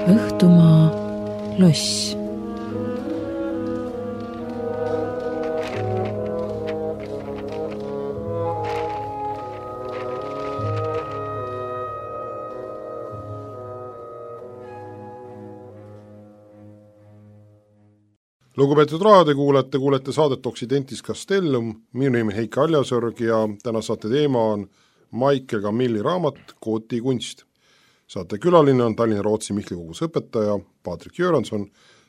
Õhtumaa loss. Lugupeetud raadiokuulajad, kuulete saadet Occidentis Castellum, minu nimi Heiki Aljasõrg ja täna saate teema on Michael Camilli raamat Kooti kunst. Saate külaline on Tallinna Rootsi Mihkli kogus õpetaja Patrik Jüranson,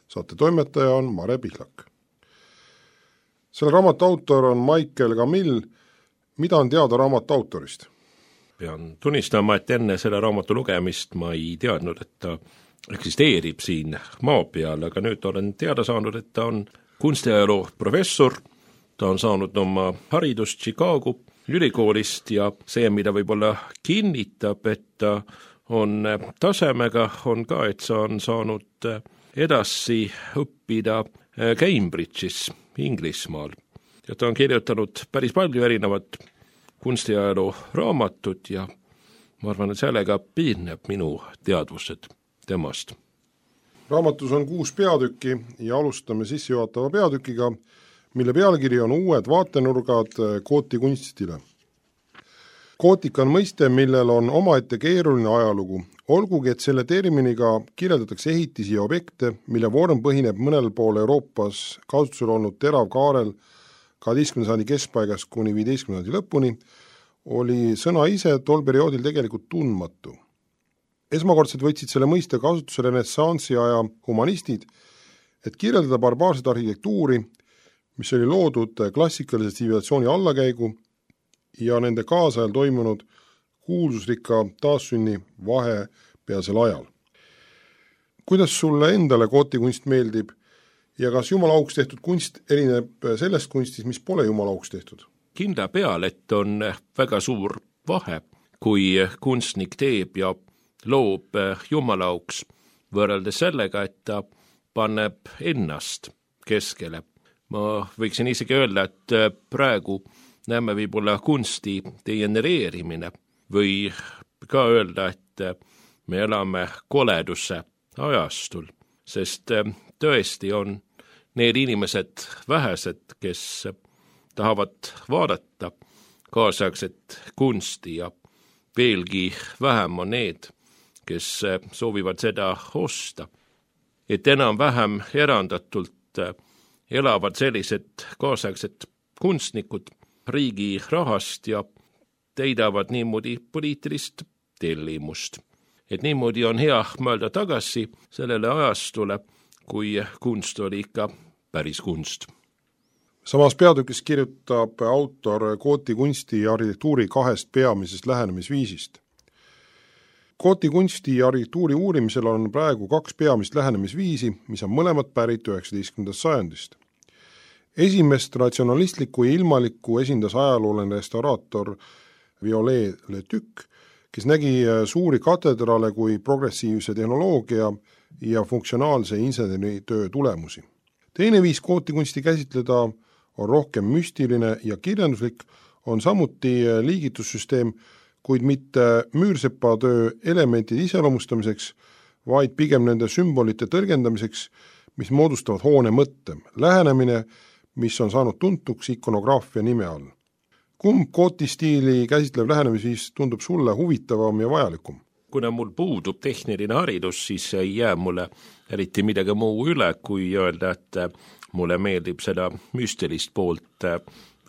saate toimetaja on Mare Pihlak. Selle raamatu autor on Michael Camille. Mida on teada raamatu autorist? Pean tunnistama, et enne selle raamatu lugemist ma ei teadnud, et ta eksisteerib siin maa peal, aga nüüd olen teada saanud, et ta on kunstiajaloo professor, ta on saanud oma haridust Chicago ülikoolist ja see, mida võib-olla kinnitab, et ta on tasemega, on ka, et sa on saanud edasi õppida Cambridge'is Inglismaal. Ja ta on kirjutanud päris palju erinevat kunstiajaloo raamatut ja ma arvan, et sellega piirneb minu teadvused temast. Raamatus on 6 peatükki ja alustame sissejuhatava peatükiga, mille pealkiri on Uued vaatenurgad Kooti kunstile. Kootik on mõiste, millel on omaette keeruline ajalugu, olgugi et selle terminiga kirjeldatakse ehitisi ja objekte, mille vorm põhineb mõnel pool Euroopas kasutusel olnud teravkaarel 12. sajandi keskpaigast kuni 15. sajandi lõpuni, oli sõna ise tol perioodil tegelikult tundmatu. Esmakordselt võtsid selle mõiste kasutusele renessansi aja humanistid, et kirjeldada barbaarset arhitektuuri, mis oli loodud klassikalise tsivilisatsiooni allakäigu ja nende kaasajal toimunud kuulsusrikka taassünni vahepealsel ajal. Kuidas sulle endale Kooti kunst meeldib ja kas jumala auks tehtud kunst erineb sellest kunstist, mis pole jumala auks tehtud? Kindla peal, et on väga suur vahe, kui kunstnik teeb ja loob jumalauks võrreldes sellega, et ta paneb ennast keskele. Ma võiksin isegi öelda, et praegu näeme võib-olla kunsti degenereerimine või ka öelda, et me elame koleduse ajastul, sest tõesti on need inimesed vähesed, kes tahavad vaadata kaasaegset kunsti ja veelgi vähem on need, kes soovivad seda osta. Et enam-vähem erandatult elavad sellised kaasaegsed kunstnikud riigi rahast ja teidavad niimoodi poliitilist tellimust. Et niimoodi on hea mõelda tagasi sellele ajastule, kui kunst oli ikka päris kunst. Samas peatükis kirjutab autor Kooti kunsti ja arhitektuuri 2 peamisest lähenemisviisist. Kooti kunsti ja arhitektuuri uurimisel on praegu 2 peamist lähenemisviisi, mis on mõlemad pärit 19. sajandist. Esimest ratsionalistlikku ja ilmalikku esindas ajalooline restauraator Violet Le Duc, kes nägi suuri katedraale kui progressiivse tehnoloogia ja funktsionaalse inseneritöö tulemusi. Teine viis Kooti kunsti käsitleda on rohkem müstiline ja kirjanduslik, on samuti liigitussüsteem, kuid mitte müürsepatöö elementide iseloomustamiseks, vaid pigem nende sümbolite tõlgendamiseks, mis moodustavad hoone mõtte, lähenemine, mis on saanud tuntuks ikonograafia nime all. Kumb Kooti stiili käsitlev lähenemisviis tundub sulle huvitavam ja vajalikum? Kuna mul puudub tehniline haridus, siis ei jää mulle eriti midagi muu üle, kui öelda, et mulle meeldib seda müstilist poolt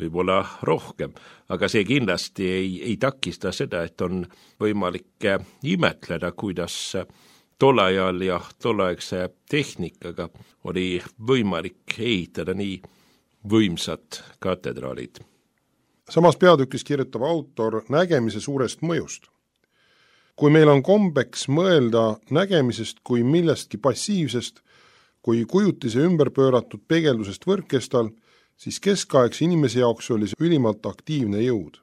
võib-olla rohkem, aga see kindlasti ei takista seda, et on võimalik imetleda, kuidas tollajal ja tolleaegse tehnikaga oli võimalik ehitada nii võimsad katedraalid. Samas peatükis kirjutab autor nägemise suurest mõjust. Kui meil on kombeks mõelda nägemisest kui millestki passiivsest, kui kujutise ümber pööratud peegeldusest võrkkestal, siis keskaegse inimese jaoks oli see ülimalt aktiivne jõud.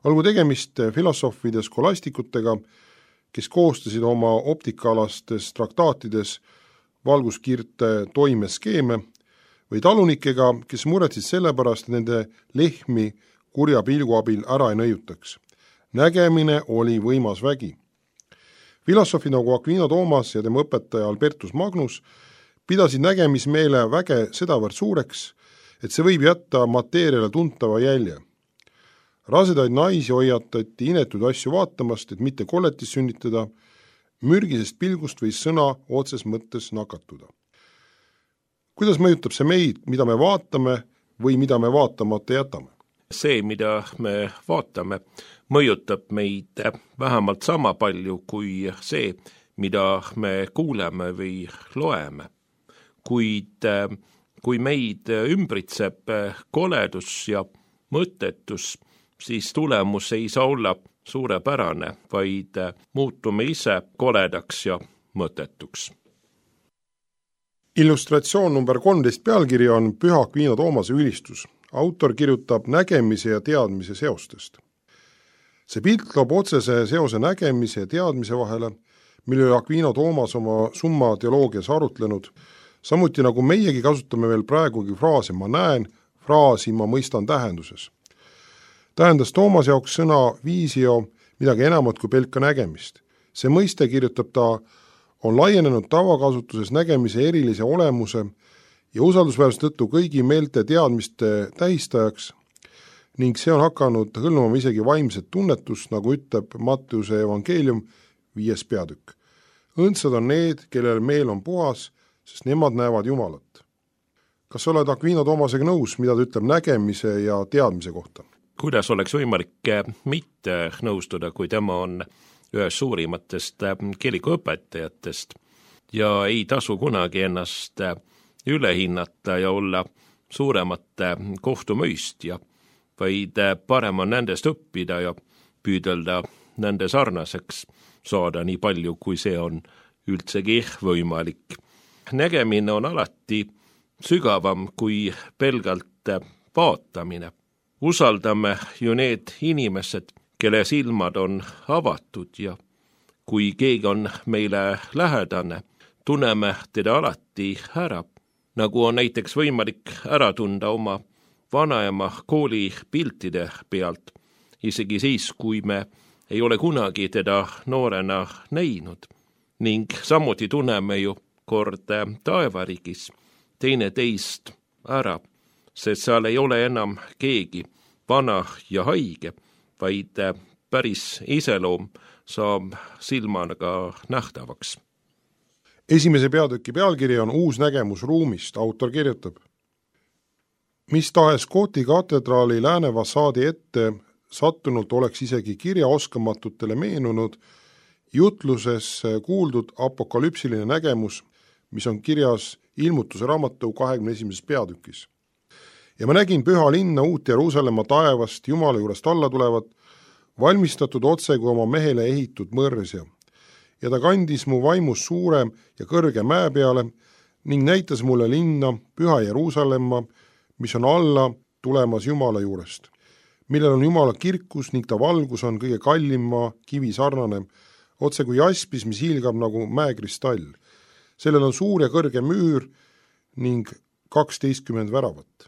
Olgu tegemist filosoofide skolastikutega, kes koostasid oma optikaalastes traktaatides valguskiirte toimeskeeme, või talunikega, kes muretsid sellepärast nende lehmi kurja pilgu abil ära ei nõiutaks. Nägemine oli võimas vägi. Filosoofi nagu Aquino Toomas ja tema õpetaja Albertus Magnus pidasid nägemismeele väge sedavõrd suureks, et see võib jätta mateeriale tuntava jälje. Rasedaid naisi hoiatati inetud asju vaatamast, et mitte kolletis sünnitada, mürgisest pilgust võis sõna otses mõttes nakatuda. Kuidas mõjutab see meid, mida me vaatame või mida me vaatamata jätame? See, mida me vaatame, mõjutab meid vähemalt sama palju kui see, mida me kuuleme või loeme. Kuid kui meid ümbritseb koledus ja mõttetus, siis tulemus ei saa olla suurepärane, vaid muutume ise koledaks ja mõttetuks. Illustratsioon number 13 pealkiri on Püha Aquino Toomase ülistus. Autor kirjutab nägemise ja teadmise seostest. See pilt loob otsese seose nägemise ja teadmise vahele, mille Aquino Toomas oma summa teoloogias arutlenud, samuti nagu meiegi kasutame veel praegugi fraase ma näen, fraasi ma mõistan tähenduses. Tähendas Toomas jaoks sõna viisio midagi enamat kui pelka nägemist. See mõiste, kirjutab ta, on laienenud tavakasutuses nägemise erilise olemuse ja usaldusväärse tõttu kõigi meelte teadmiste tähistajaks ning see on hakanud hõlmama isegi vaimset tunnetust, nagu ütleb Matteuse evangeelium 5. peatükk. Õndsad on need, kellel meel on puhas, sest nemad näevad Jumalat. Kas sa oled Aquino Toomasega nõus, mida ta ütleb nägemise ja teadmise kohta? Kuidas oleks võimalik mitte nõustuda, kui tema on ühes suurimatest kirikuõpetajatest ja ei tasu kunagi ennast üle hinnata ja olla suuremate kohtumõistja, vaid parem on nendest õppida ja püüdelda nende sarnaseks saada nii palju, kui see on üldsegi võimalik. Nägemine on alati sügavam kui pelgalt vaatamine. Usaldame ju need inimesed, kelle silmad on avatud ja kui keegi on meile lähedane, tunneme teda alati ära, nagu on näiteks võimalik ära tunda oma vanaema kooli piltide pealt, isegi siis, kui me ei ole kunagi teda noorena näinud. Ning samuti tunneme ju kord taevariigis teine teist ära, sest seal ei ole enam keegi vana ja haige, vaid päris iseloom saab silmaga nähtavaks. Esimese peatüki pealkiri on Uus nägemus ruumist. Autor kirjutab: mis tahes Gothi katedraali lääne fassaadi ette sattunult oleks isegi kirjaoskamatutele meenunud jutluses kuuldud apokalüpsiline nägemus, mis on kirjas Ilmutuse raamatu 21. peatükis. Ja ma nägin püha linna uut Jeruusalemma taevast Jumala juurest alla tulevat, valmistatud otse kui oma mehele ehitud mõrsja. Ja ta kandis mu vaimus suure ja kõrge mäe peale ning näitas mulle linna, püha Jeruusalemma, mis on alla tulemas Jumala juurest, millel on Jumala kirkus ning ta valgus on kõige kallimma kivi sarnane, otse kui jaspis, mis hiilgab nagu mäekristall. Sellel on suur ja kõrge müür ning 12 väravat.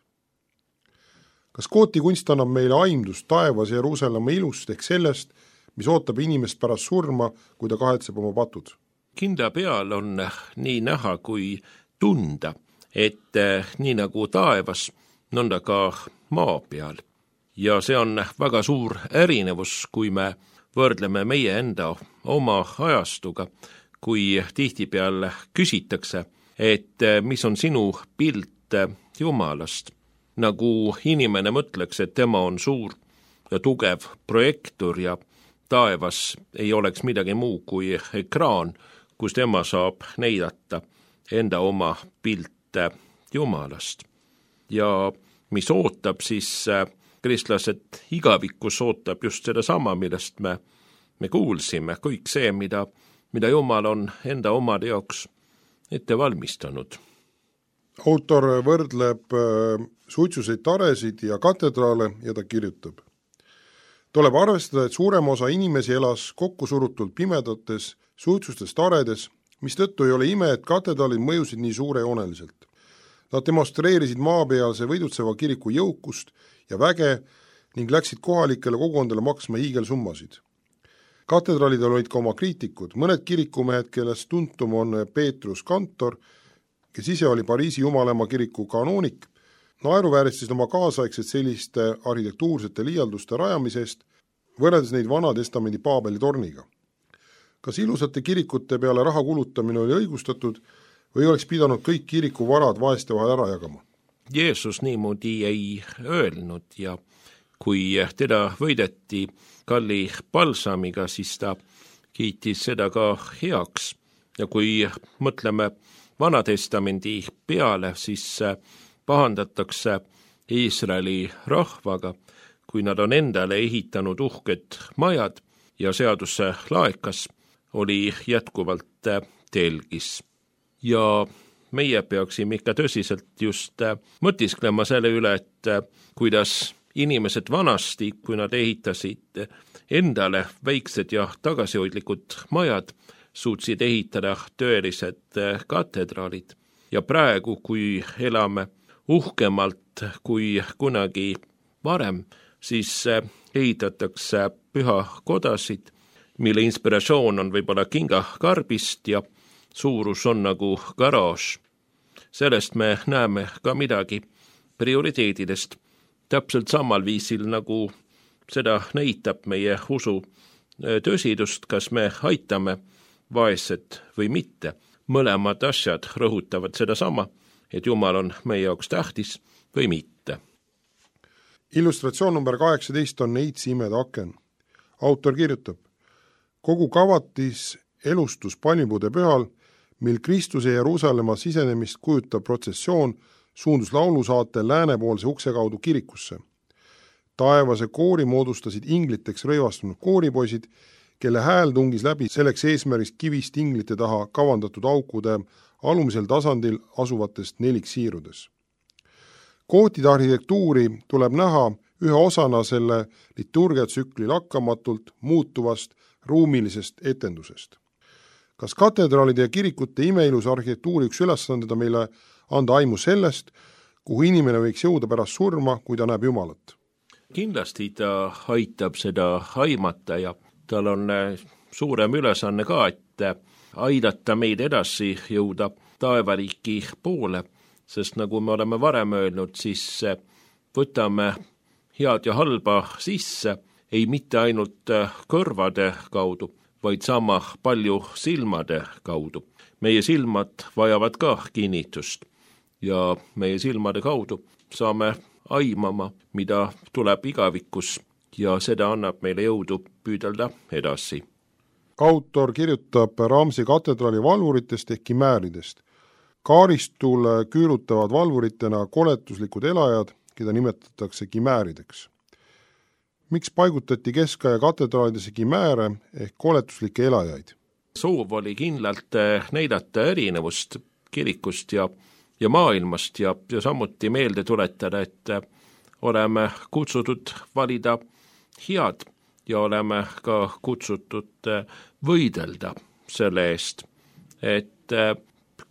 Kas Gothi kunst annab meile aimdust taevas Jeruusalemma ilust ehk sellest, mis ootab inimest pärast surma, kui ta kahetseb oma patud? Kinda peal on nii näha kui tunda, et nii nagu taevas, nõnda ka maa peal. Ja see on väga suur erinevus, kui me võrdleme meie enda oma ajastuga, kui tihtipeal küsitakse, et mis on sinu pilt Jumalast. Nagu inimene mõtleks, et tema on suur ja tugev projektor ja taevas ei oleks midagi muu kui ekraan, kus tema saab näidata enda oma pilte Jumalast. Ja mis ootab siis kristlased igavikus ootab just seda sama, millest me kuulsime, kõik see, mida Jumal on enda omade jaoks ette valmistanud. Autor võrdleb suitsuseid taresid ja katedraale ja ta kirjutab: tuleb arvestada, et suurem osa inimesi elas kokkusurutult pimedates suitsustes taredes, mistõttu ei ole ime, et katedraalid mõjusid nii suurejooneliselt. Nad demonstreerisid maapealse võidutseva kiriku jõukust ja väge ning läksid kohalikele kogukondadele maksma hiigelsummasid. Katedraalidel olid ka oma kriitikud, mõned kirikumehed, kellest tuntum on Peetrus Kantor, kes ise oli Pariisi Jumalaema kiriku kanoonik, naeruvääristasid oma kaasaegset selliste arhitektuursete liialduste rajamisest, võrreldes neid Vana Testamendi Paabeli torniga. Kas ilusate kirikute peale raha kulutamine oli õigustatud või oleks pidanud kõik kiriku varad vaeste vahel ära jagama? Jeesus niimoodi ei öelnud ja kui teda võideti kalli palsamiga, siis ta kiitis seda ka heaks. Ja kui mõtleme Vana Testamendi peale, siis pahandatakse Iisraeli rahvaga, kui nad on endale ehitanud uhked majad ja seaduse laekas oli jätkuvalt telgis. Ja meie peaksime ikka tõsiselt just mõtisklema selle üle, et kuidas inimesed vanasti, kui nad ehitasid endale väiksed ja tagasihoidlikud majad, suutsid ehitada tõelised katedraalid. Ja praegu, kui elame uhkemalt kui kunagi varem, siis ehitatakse pühakodasid, mille inspiratsioon on võib-olla kingakarbist ja suurus on nagu garaaž. Sellest me näeme ka midagi prioriteedidest, täpselt samal viisil, nagu seda näitab meie usu tõsidust, kas me aitame vaesed või mitte. Mõlemad asjad rõhutavad seda sama, et Jumal on meie jaoks tähtis või mitte. Illustratsioon number 18 on Neitsi imede aken. Autor kirjutab: kogu kavatis elustus palmipuude pühal, mil Kristuse Jeruusalemma sisenemist kujutav protsessioon suundus laulusaatel läänepoolse ukse kaudu kirikusse. Taevase koori moodustasid ingliteks rõivastunud kooripoisid, kelle hääl tungis läbi selleks eesmärgist kivist inglite taha kavandatud aukude alumisel tasandil asuvatest neliksiirudes. Kootide arhitektuuri tuleb näha ühe osana selle liturgiatsükli lakkamatult muutuvast ruumilisest etendusest. Kas katedraalide ja kirikute imeilus arhitektuuri üks ülesanded on meile anda aimu sellest, kuhu inimene võiks jõuda pärast surma, kui ta näeb Jumalat? Kindlasti ta aitab seda aimata ja tal on suurem ülesanne ka, et aidata meid edasi jõuda taevariiki poole, sest nagu me oleme varem öelnud, siis võtame head ja halba sisse, ei mitte ainult kõrvade kaudu, vaid sama palju silmade kaudu. Meie silmad vajavad ka kinnitust ja meie silmade kaudu saame aimama, mida tuleb igavikus ja seda annab meile jõudu püüdelda edasi. Autor kirjutab Ramsi katedraali valvuritest ehk kimääridest. Kaaristule küürutavad valvuritena koletuslikud elajad, keda nimetatakse kimäärideks. Miks paigutati keskaja katedraalidesse kimääre ehk koletuslikke elajaid? Soov oli kindlalt näidata erinevust kirikust ja maailmast ja samuti meelde tuletada, et oleme kutsutud valida head ja oleme ka kutsutud võidelda selle eest, et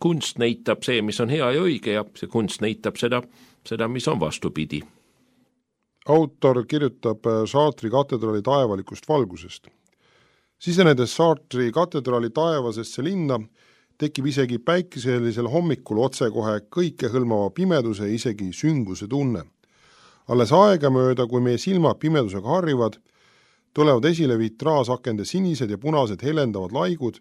kunst näitab see, mis on hea ja õige ja see kunst näitab seda, mis on vastupidi. Autor kirjutab Chartre'i katedraali taevalikust valgusest. Sisenedes Chartre'i katedraali taevasesse linna tekib isegi päikeselisel hommikul otsekohe kõikehõlmava pimeduse, isegi sünguse tunne. Alles aegamööda, kui meie silmad pimedusega harrivad, tulevad esile vitraasakende sinised ja punased helendavad laigud,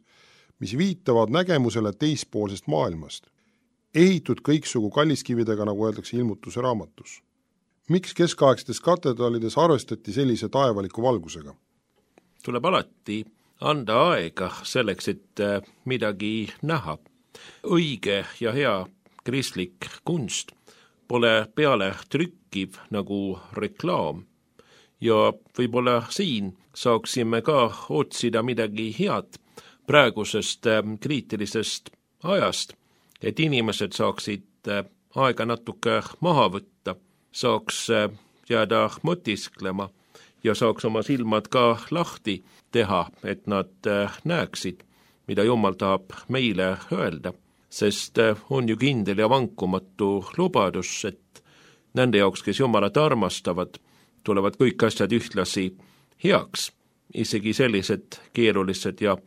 mis viitavad nägemusele teispoolsest maailmast. Ehitud kõiksugu kalliskividega, nagu öeldakse ilmutuse raamatus. Miks keskaegsetes katedraalides arvestati sellise taevaliku valgusega? Tuleb alati anda aega selleks, et midagi näha. Õige ja hea kristlik kunst pole peale trükkiv nagu reklaam. Ja võib-olla siin saaksime ka otsida midagi head praegusest kriitilisest ajast, et inimesed saaksid aega natuke maha võtta, saaks jääda mõtisklema ja saaks oma silmad ka lahti teha, et nad näeksid, mida Jumal tahab meile öelda, sest on ju kindel ja vankumatu lubadus, et nende jaoks, kes Jumalat armastavad, tulevad kõik asjad ühtlasi heaks isegi sellised keerulised ja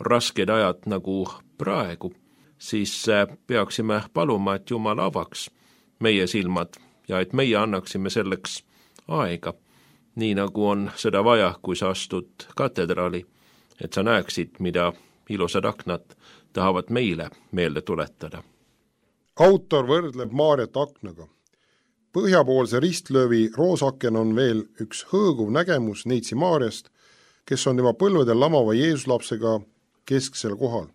rasked ajad nagu praegu, siis peaksime paluma, et Jumal avaks meie silmad ja et meie annaksime selleks aega, nii nagu on seda vaja, kui sa astud katedraali, et sa näeksid, mida ilusad aknad tahavad meile meelde tuletada. Autor võrdleb Maarjat aknaga. Põhjapoolse ristlöövi roosaken on veel üks hõõguv nägemus Neitsi Maarjast, kes on tema põlvedel lamava Jeesuslapsega kesksel kohal.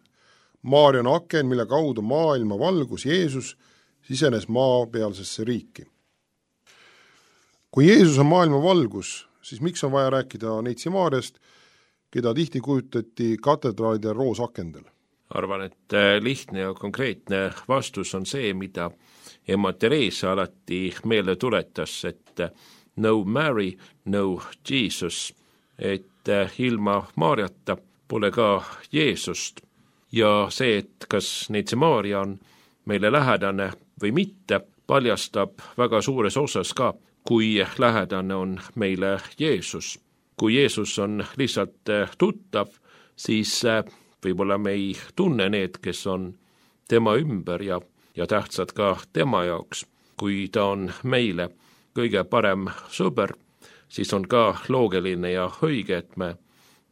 Maarja on aken, mille kaudu maailma valgus Jeesus sisenes maapealsesse riiki. Kui Jeesus on maailma valgus, siis miks on vaja rääkida Neitsi Maarjast, keda tihti kujutati katedraalide roosakendel? Arvan, et lihtne ja konkreetne vastus on see, mida ema Teresa alati meelde tuletas, et no Mary, no Jesus, et ilma Maarjata pole ka Jeesust. Ja see, et kas Neitsi Maarja on meile lähedane või mitte, paljastab väga suures osas ka, kui lähedane on meile Jeesus. Kui Jeesus on lihtsalt tuttav, siis võib-olla me ei tunne need, kes on tema ümber ja tähtsad ka tema jaoks. Kui ta on meile kõige parem sõber, siis on ka loogiline ja õige, et me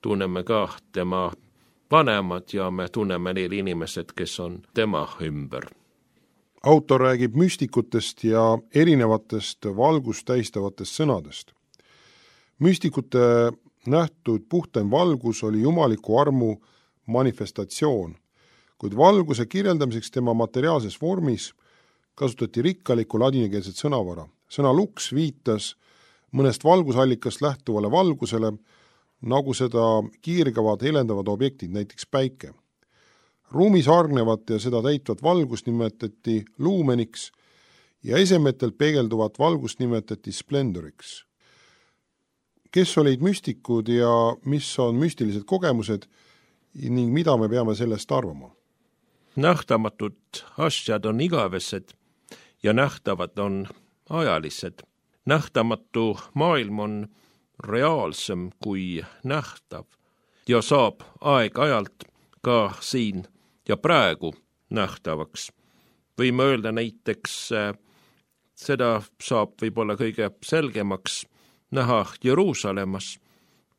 tunneme ka tema vanemad ja me tunneme need inimesed, kes on tema ümber. Autor räägib müstikutest ja erinevatest valgust tähistavatest sõnadest. Müstikute nähtud puhtaim valgus oli jumaliku armu manifestatsioon, kuid valguse kirjeldamiseks tema materiaalses vormis kasutati rikkalikku ladinakeelset sõnavara. Sõna lux viitas mõnest valgusallikast lähtuvale valgusele, nagu seda kiirgavad helendavad objektid, näiteks päike. Ruumis hargnevat ja seda täitvat valgust nimetati luumeniks ja esemetelt peegelduvat valgust nimetati splendoriks. Kes olid müstikud ja mis on müstilised kogemused ning mida me peame sellest arvama? Nähtamatud asjad on igavesed ja nähtavad on ajalised. Nähtamatu maailm on reaalsem kui nähtav ja saab aeg-ajalt ka siin ja praegu nähtavaks. Võime öelda näiteks, seda saab võib-olla kõige selgemaks näha Jeruusalemmas,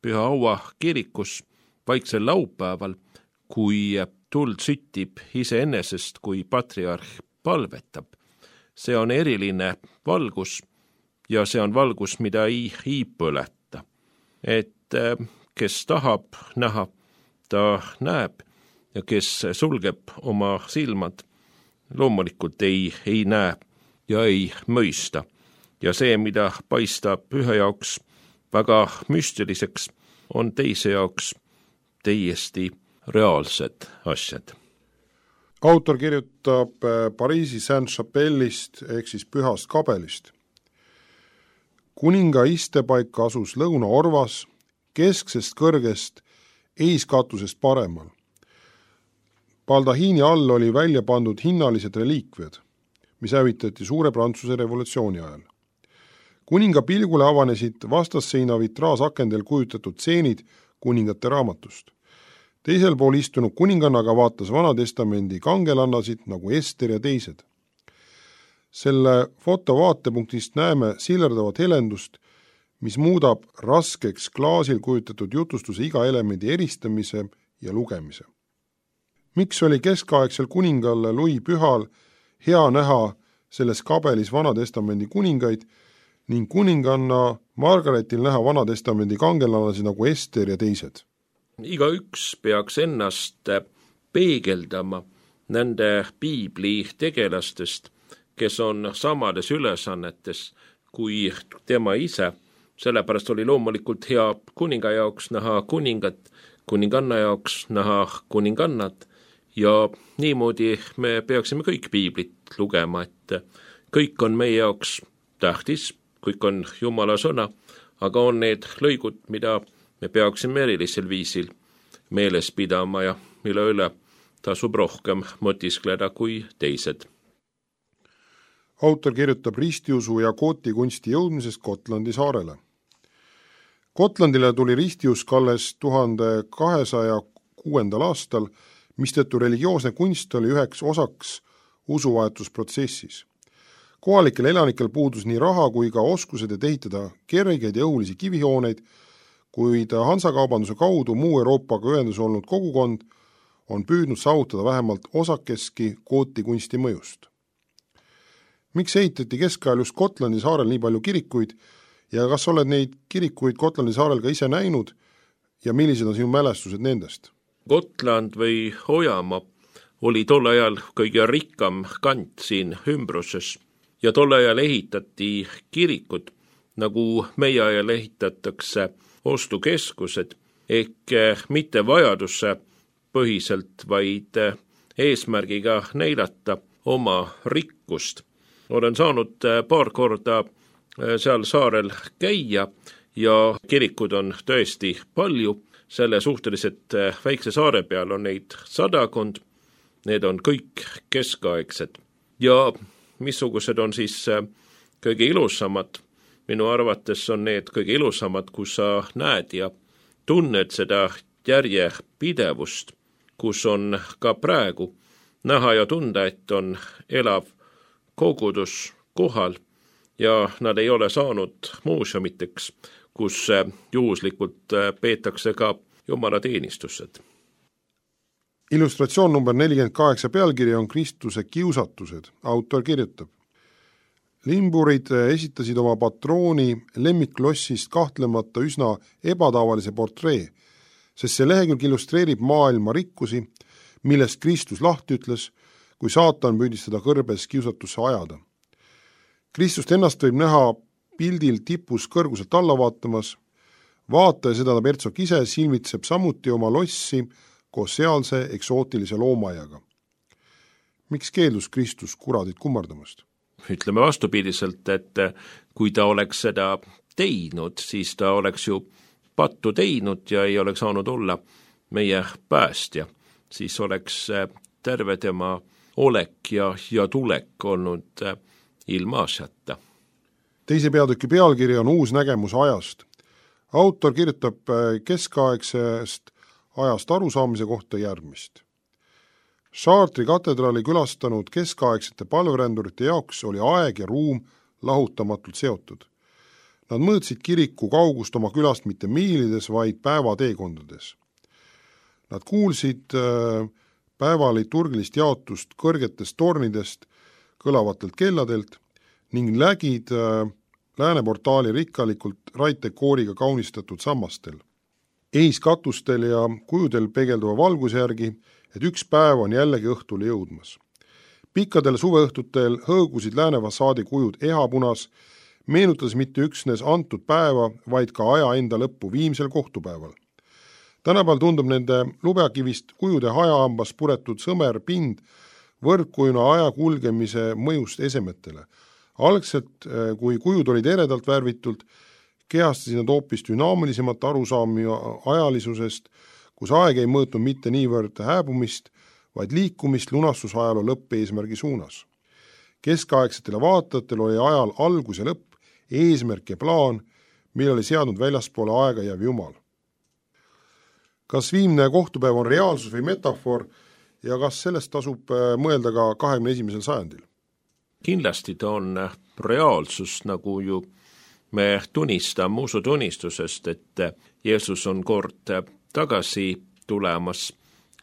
Püha Aua kirikus, vaiksel laupäeval, kui tuld süttib iseenesest, kui patriarh palvetab. See on eriline valgus ja see on valgus, mida ei põleta. Et kes tahab näha, ta näeb ja kes sulgeb oma silmad, loomulikult ei näe ja ei mõista. Ja see, mida paistab ühe jaoks väga müstiliseks, on teise jaoks täiesti reaalsed asjad. Autor kirjutab Pariisi Saint-Chapelle'ist ehk siis Pühast kabelist. Kuninga istepaik asus lõunaorvas, kesksest kõrgest eiskatusest paremal. Baldahiini all oli välja pandud hinnalised reliikviad, mis hävitati Suure Prantsuse revolutsiooni ajal. Kuninga pilgule avanesid vastasseina vitraasakendel kujutatud tseenid kuningate raamatust. Teisel pool istunud kuningannaga vaatas Vanatestamendi kangelannasid nagu Ester ja teised. Selle foto vaatepunktist näeme sillerdavat helendust, mis muudab raskeks klaasil kujutatud jutustuse iga elemendi eristamise ja lugemise. Miks oli keskaegsel kuningal Louis Pühal hea näha selles kabelis Vanatestamendi kuningaid ning kuninganna Margaretil näha Vanatestamendi kangelannasi nagu Ester ja teised? Igaüks peaks ennast peegeldama nende piibli tegelastest, kes on samades ülesannetes kui tema ise. Sellepärast oli loomulikult hea kuninga jaoks näha kuningat, kuninganna jaoks näha kuningannat ja niimoodi me peaksime kõik piiblit lugema, et kõik on meie jaoks tähtis, kõik on Jumala sõna, aga on need lõigud, mida me peaksime erilisel viisil meeles pidama ja mille üle tasub rohkem mõtiskleda kui teised. Autor kirjutab ristiusu ja kootikunsti jõudmisest Gotlandi saarele. Gotlandile tuli ristiusk alles 1206. aastal, mistõttu religioosne kunst oli üheks osaks usuvahetusprotsessis. Kohalikel elanikel puudus nii raha kui ka oskused, et ehitada kergeid ja õhulisi kivihooneid, kuid Hansakaubanduse kaudu muu Euroopaga ühendus olnud kogukond on püüdnud saavutada vähemalt osakeski gooti kunsti mõjust. Miks ehitati keskajal just Gotlandi saarel nii palju kirikuid ja kas oled neid kirikuid Gotlandi saarel ka ise näinud ja millised on sinu mälestused nendest? Gotland või Ojamaa oli tol ajal kõige rikkam kant siin ümbruses ja tol ajal ehitati kirikud, nagu meie ajal ehitatakse ostukeskused, ehk mitte vajaduse põhiselt, vaid eesmärgiga näidata oma rikkust. Olen saanud paar korda seal saarel käia ja kirikud on tõesti palju, selle suhteliselt väikse saare peal on neid 100, need on kõik keskaegsed. Ja missugused on siis kõige ilusamad? Minu arvates on need kõige ilusamad, kus sa näed ja tunned seda järjepidevust, kus on ka praegu näha ja tunda, et on elav kogudus kohal ja nad ei ole saanud muuseumiteks, kus juhuslikult peetakse ka jumalateenistused. Illustratsioon number 48 pealkiri on Kristuse kiusatused. Autor kirjutab: Limburid esitasid oma patrooni lemmiklossist kahtlemata üsna ebatavalise portree, sest see lehekülg illustreerib maailma rikkusi, millest Kristus lahti ütles, kui saatan püüdis teda kõrbes kiusatusse ajada. Kristust ennast võib näha pildil tipus kõrguselt alla vaatamas, vaataja, seda Pertsok ise, silmitseb samuti oma lossi koos sealse eksootilise loomaiaga. Miks keeldus Kristus kuradit kummardamast? Ütleme vastupidiselt, et kui ta oleks seda teinud, siis ta oleks ju pattu teinud ja ei oleks saanud olla meie päästja. Siis oleks terve tema olek ja tulek olnud ilmaasjata. Teise peatüki pealkiri on Uus nägemus ajast. Autor kirjutab keskaegsest ajast arusaamise kohta järgmist. Chartre'i katedraali külastanud keskaegsete palverändurite jaoks oli aeg ja ruum lahutamatult seotud. Nad mõõtsid kiriku kaugust oma külast mitte miilides, vaid päevateekondades. Nad kuulsid päevaliturgilist jaotust kõrgetest tornidest, kõlavatelt kelladelt ning lägid lääneportaali rikkalikult raitekooriga kaunistatud sammastel. Eiskatustel ja kujudel peegelduva valguse järgi, et üks päev on jällegi õhtule jõudmas. Pikkadel suveõhtutel hõõgusid läänefassaadi kujud ehapunas, meenutades mitte üksnes antud päeva, vaid ka aja enda lõppu viimsel kohtupäeval. Tänapäeval tundub nende lubjakivist kujude hajaambas puretud sõmer pind võrdkujuna aja kulgemise mõjust esemetele. Algselt, kui kujud olid eredalt värvitult, kehastasid nad hoopis dünaamilisemat arusaami ajalisusest, kus aeg ei mõõtnud mitte niivõrd hääbumist, vaid liikumist lunastusajaloo lõppeesmärgi suunas. Keskaegsetele vaatajatel oli ajal algus ja lõpp, eesmärk ja plaan, mille oli seadnud väljaspoole aega jääv Jumal. Kas viimne kohtupäev on reaalsus või metafoor ja kas sellest tasub mõelda ka 21. sajandil? Kindlasti ta on reaalsus, nagu ju me tunnistame usutunnistusest, et Jeesus on kord tagasi tulemas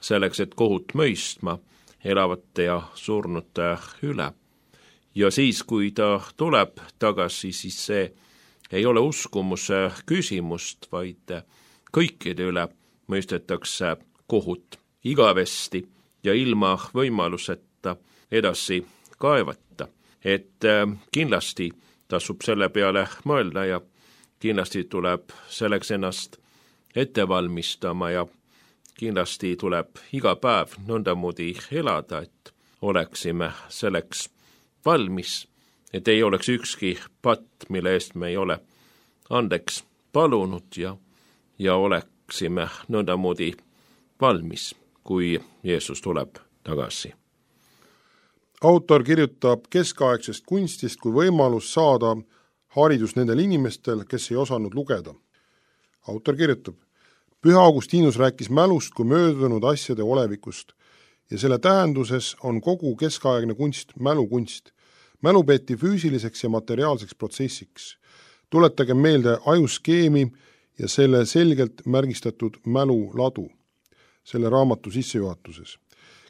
selleks, et kohut mõistma elavate ja surnute üle. Ja siis, kui ta tuleb tagasi, siis see ei ole uskumuse küsimust, vaid kõikide üle mõistetakse kohut igavesti ja ilma võimaluseta edasi kaevata. Et kindlasti tasub selle peale mõelda ja kindlasti tuleb selleks ennast ette valmistama ja kindlasti tuleb iga päev nõndamoodi elada, et oleksime selleks valmis, et ei oleks ükski patt, mille eest me ei ole andeks palunud ja oleksime nõndamoodi valmis, kui Jeesus tuleb tagasi. Autor kirjutab keskaegsest kunstist kui võimalus saada haridus nendel inimestel, kes ei osanud lugeda. autor kirjutab, Püha Augustinus rääkis mälust kui möödunud asjade olevikust ja selle tähenduses on kogu keskaegne kunst mälukunst. Mälu peeti füüsiliseks ja materiaalseks protsessiks. Tuletage meelde ajuskeemi ja selle selgelt märgistatud mäluladu selle raamatu sissejuhatuses.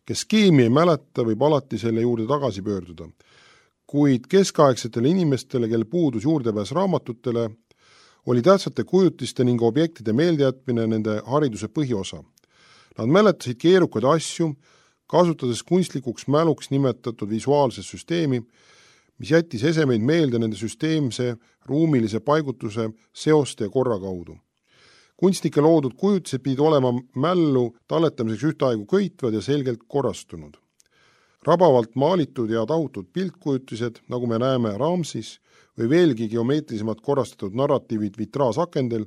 Kes skeemi ei mäleta, võib alati selle juurde tagasi pöörduda. Kuid keskaegsetele inimestele, kel puudus juurdepääs raamatutele, oli tähtsate kujutiste ning objektide meeldejätmine nende hariduse põhiosa. Nad mäletasid keerukaid asju, kasutades kunstlikuks mäluks nimetatud visuaalse süsteemi, mis jättis esemeid meelde nende süsteemse, ruumilise paigutuse, seoste ja korra kaudu. Kunstnike loodud kujutised pidid olema mällu talletamiseks ühtaegu köitvad ja selgelt korrastunud. Rabavalt maalitud ja tahutud piltkujutised, nagu me näeme Ramsis, või veelgi geomeetrilisemalt korrastatud narratiivid vitraasakendel,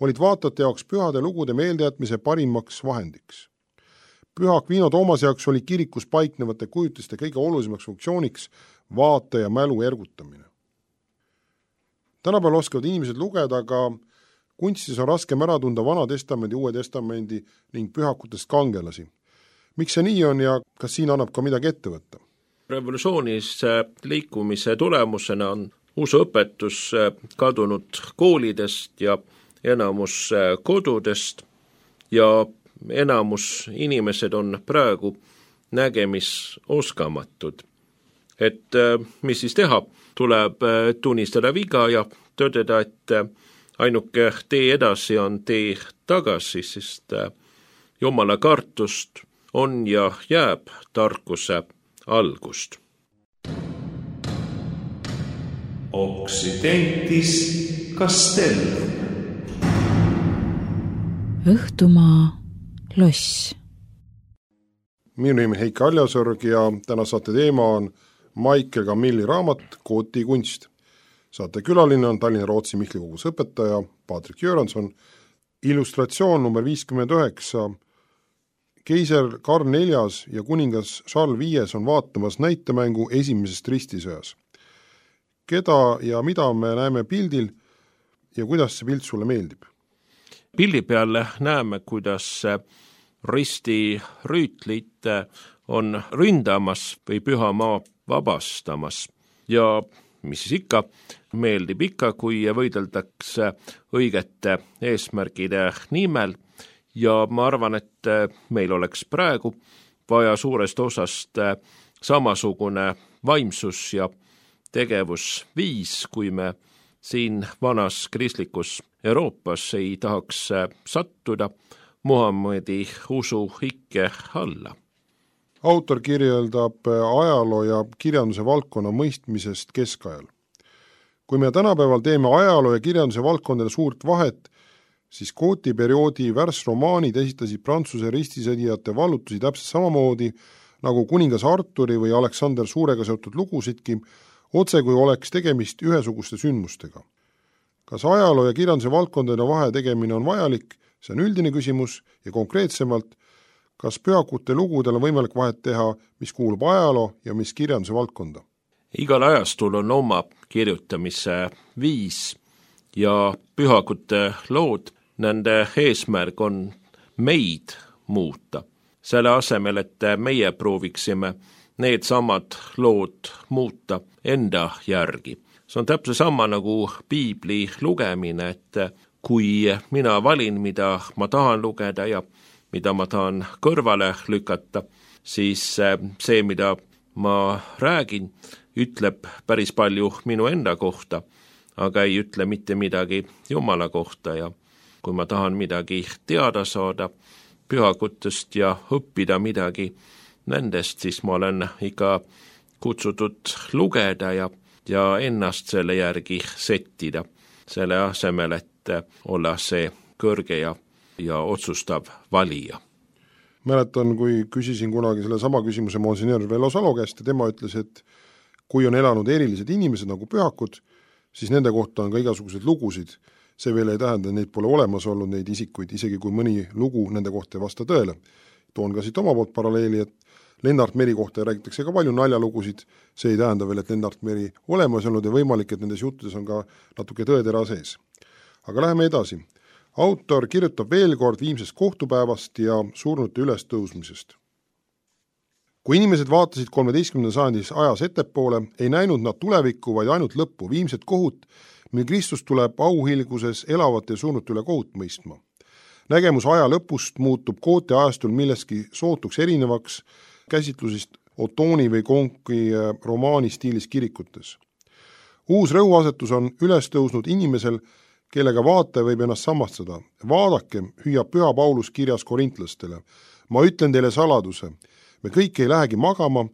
olid vaatajate jaoks pühade lugude meeldejätmise parimaks vahendiks. Püha Aquino Toomase jaoks oli kirikus paiknevate kujutiste kõige olulisemaks funktsiooniks vaataja mälu ergutamine. Tänapäeval oskavad inimesed lugeda, aga kunstis on raskem ära tunda Vana Testamendi, Uue Testamendi ning pühakutest kangelasi. Miks see nii on ja kas siin annab ka midagi ette võtta? Revolutsioonis liikumise tulemusena on usuõpetus kadunud koolidest ja enamus kodudest ja enamus inimesed on praegu nägemisoskamatud. Et mis siis teha? Tuleb tunnistada viga ja tõdeda, et ainuke tee edasi on tee tagasi, sest Jumala kartust on ja jääb tarkuse algust. Occidentis Castellum. Õhtumaa loss. Minu nimi Heiki Aljasorg ja täna saate teema on Maike Camilli raamat Kooti kunst. Saate külaline on Tallinna Rootsi Mihkli kogus õpetaja Patrik Jöranson. Illustratsioon number 59. Keiser Karl IV ja kuningas Charles V on vaatamas näitemängu esimesest ristisõjas. Keda ja mida me näeme pildil ja kuidas see pilt sulle meeldib? Pildi peal näeme, kuidas ristirüütlid on ründamas või pühamaa vabastamas ja mis siis ikka, meeldib ikka, kui võideldakse õigete eesmärgide nimel ja ma arvan, et meil oleks praegu vaja suurest osast samasugune vaimsus ja tegevusviis, kui me siin vanas kristlikus Euroopas ei tahaks sattuda Muhammedi usu ikke alla. Autor kirjeldab ajaloo ja kirjanduse valdkonna mõistmisest keskajal. Kui me tänapäeval teeme ajaloo ja kirjanduse valdkondadele suurt vahet, siis Kooti perioodi värsromaanid esitasid Prantsuse ristisõdijate vallutusi täpselt samamoodi nagu kuningas Arturi või Aleksander Suurega seotud lugusidki, otse kui oleks tegemist ühesuguste sündmustega. Kas ajaloo ja kirjanduse valdkondade vahe tegemine on vajalik, see on üldine küsimus ja konkreetsemalt, kas pühakute lugudel on võimalik vahet teha, mis kuulub ajaloo ja mis kirjanduse valdkonda? Igal ajastul on oma kirjutamise viis ja pühakute lood, nende eesmärk on meid muuta. Selle asemel, et meie prooviksime need samad lood muuta enda järgi. See on täpselt sama nagu piibli lugemine, et kui mina valin, mida ma tahan lugeda ja mida ma tahan kõrvale lükata, siis see, mida ma räägin, ütleb päris palju minu enda kohta, aga ei ütle mitte midagi Jumala kohta ja kui ma tahan midagi teada saada pühakutest ja õppida midagi nendest, siis ma olen ikka kutsutud lugeda ja ennast selle järgi settida, selle asemel, et olla see kõrge ja otsustav valija. Mäletan, kui küsisin kunagi selle sama küsimuse Monsignor Vello Salo käest ja tema ütles, et kui on elanud erilised inimesed nagu pühakud, siis nende kohta on ka igasuguseid lugusid. See veel ei tähenda, et neid pole olemas olnud neid isikuid, isegi kui mõni lugu nende kohta ei vasta tõele. Toon ka siit oma poolt paralleeli, et Lennart Meri kohta räägitakse ka palju naljalugusid, see ei tähenda veel, et Lennart Meri olemas olnud ja võimalik, et nendes juttudes on ka natuke tõetera sees. Aga läheme edasi. autor kirjutab veel kord viimsest kohtupäevast ja surnute ülestõusmisest. Kui inimesed vaatasid 13. sajandis ajas ettepoole, ei näinud nad tulevikku, vaid ainult lõppu, viimset kohut, mil Kristus tuleb auhilguses elavate ja surnute üle kohut mõistma. Nägemus aja lõpust muutub Goethe ajastul milleski sootuks erinevaks käsitlusest Ottoni või Konki romaani stiilis kirikutes. Uus rõhuasetus on üles tõusnud inimesel, kellega vaataja võib ennast samastada. Vaadake, hüüab Püha Paulus kirjas korintlastele. Ma ütlen teile saladuse. Me kõik ei lähegi magama,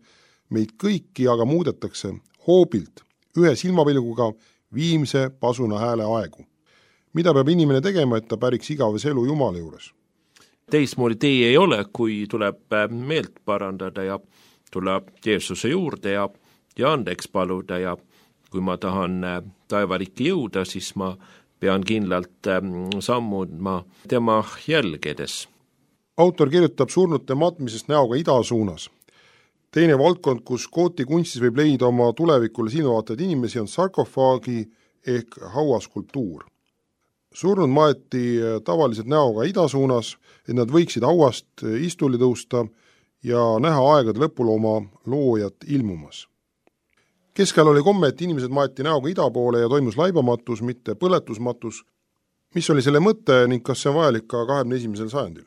meid kõiki aga muudetakse hoobilt, ühe silmapilguga viimse pasuna hääle aegu. Mida peab inimene tegema, et ta päriks igavese elu Jumala juures? Teismoodi tee ei ole, kui tuleb meelt parandada ja tuleb Jeesuse juurde ja andeks paluda ja kui ma tahan taevalikki jõuda, siis ma pean kindlalt sammuma tema jälgedes. Autor kirjutab surnute matmisest näoga ida suunas. Teine valdkond, kus Goethi kunstis võib leida oma tulevikule silmavaatavad inimesi, on sarkofaagi ehk hauaskulptuur. Surnud maeti tavaliselt näoga ida suunas, et nad võiksid hauast istuli tõusta ja näha aegade lõpul oma loojat ilmumas. Keskel oli komme, et inimesed maeti näoga ida poole ja toimus laibamatus, mitte põletusmatus. Mis oli selle mõte ning kas see on vajalik ka 21. sajandil?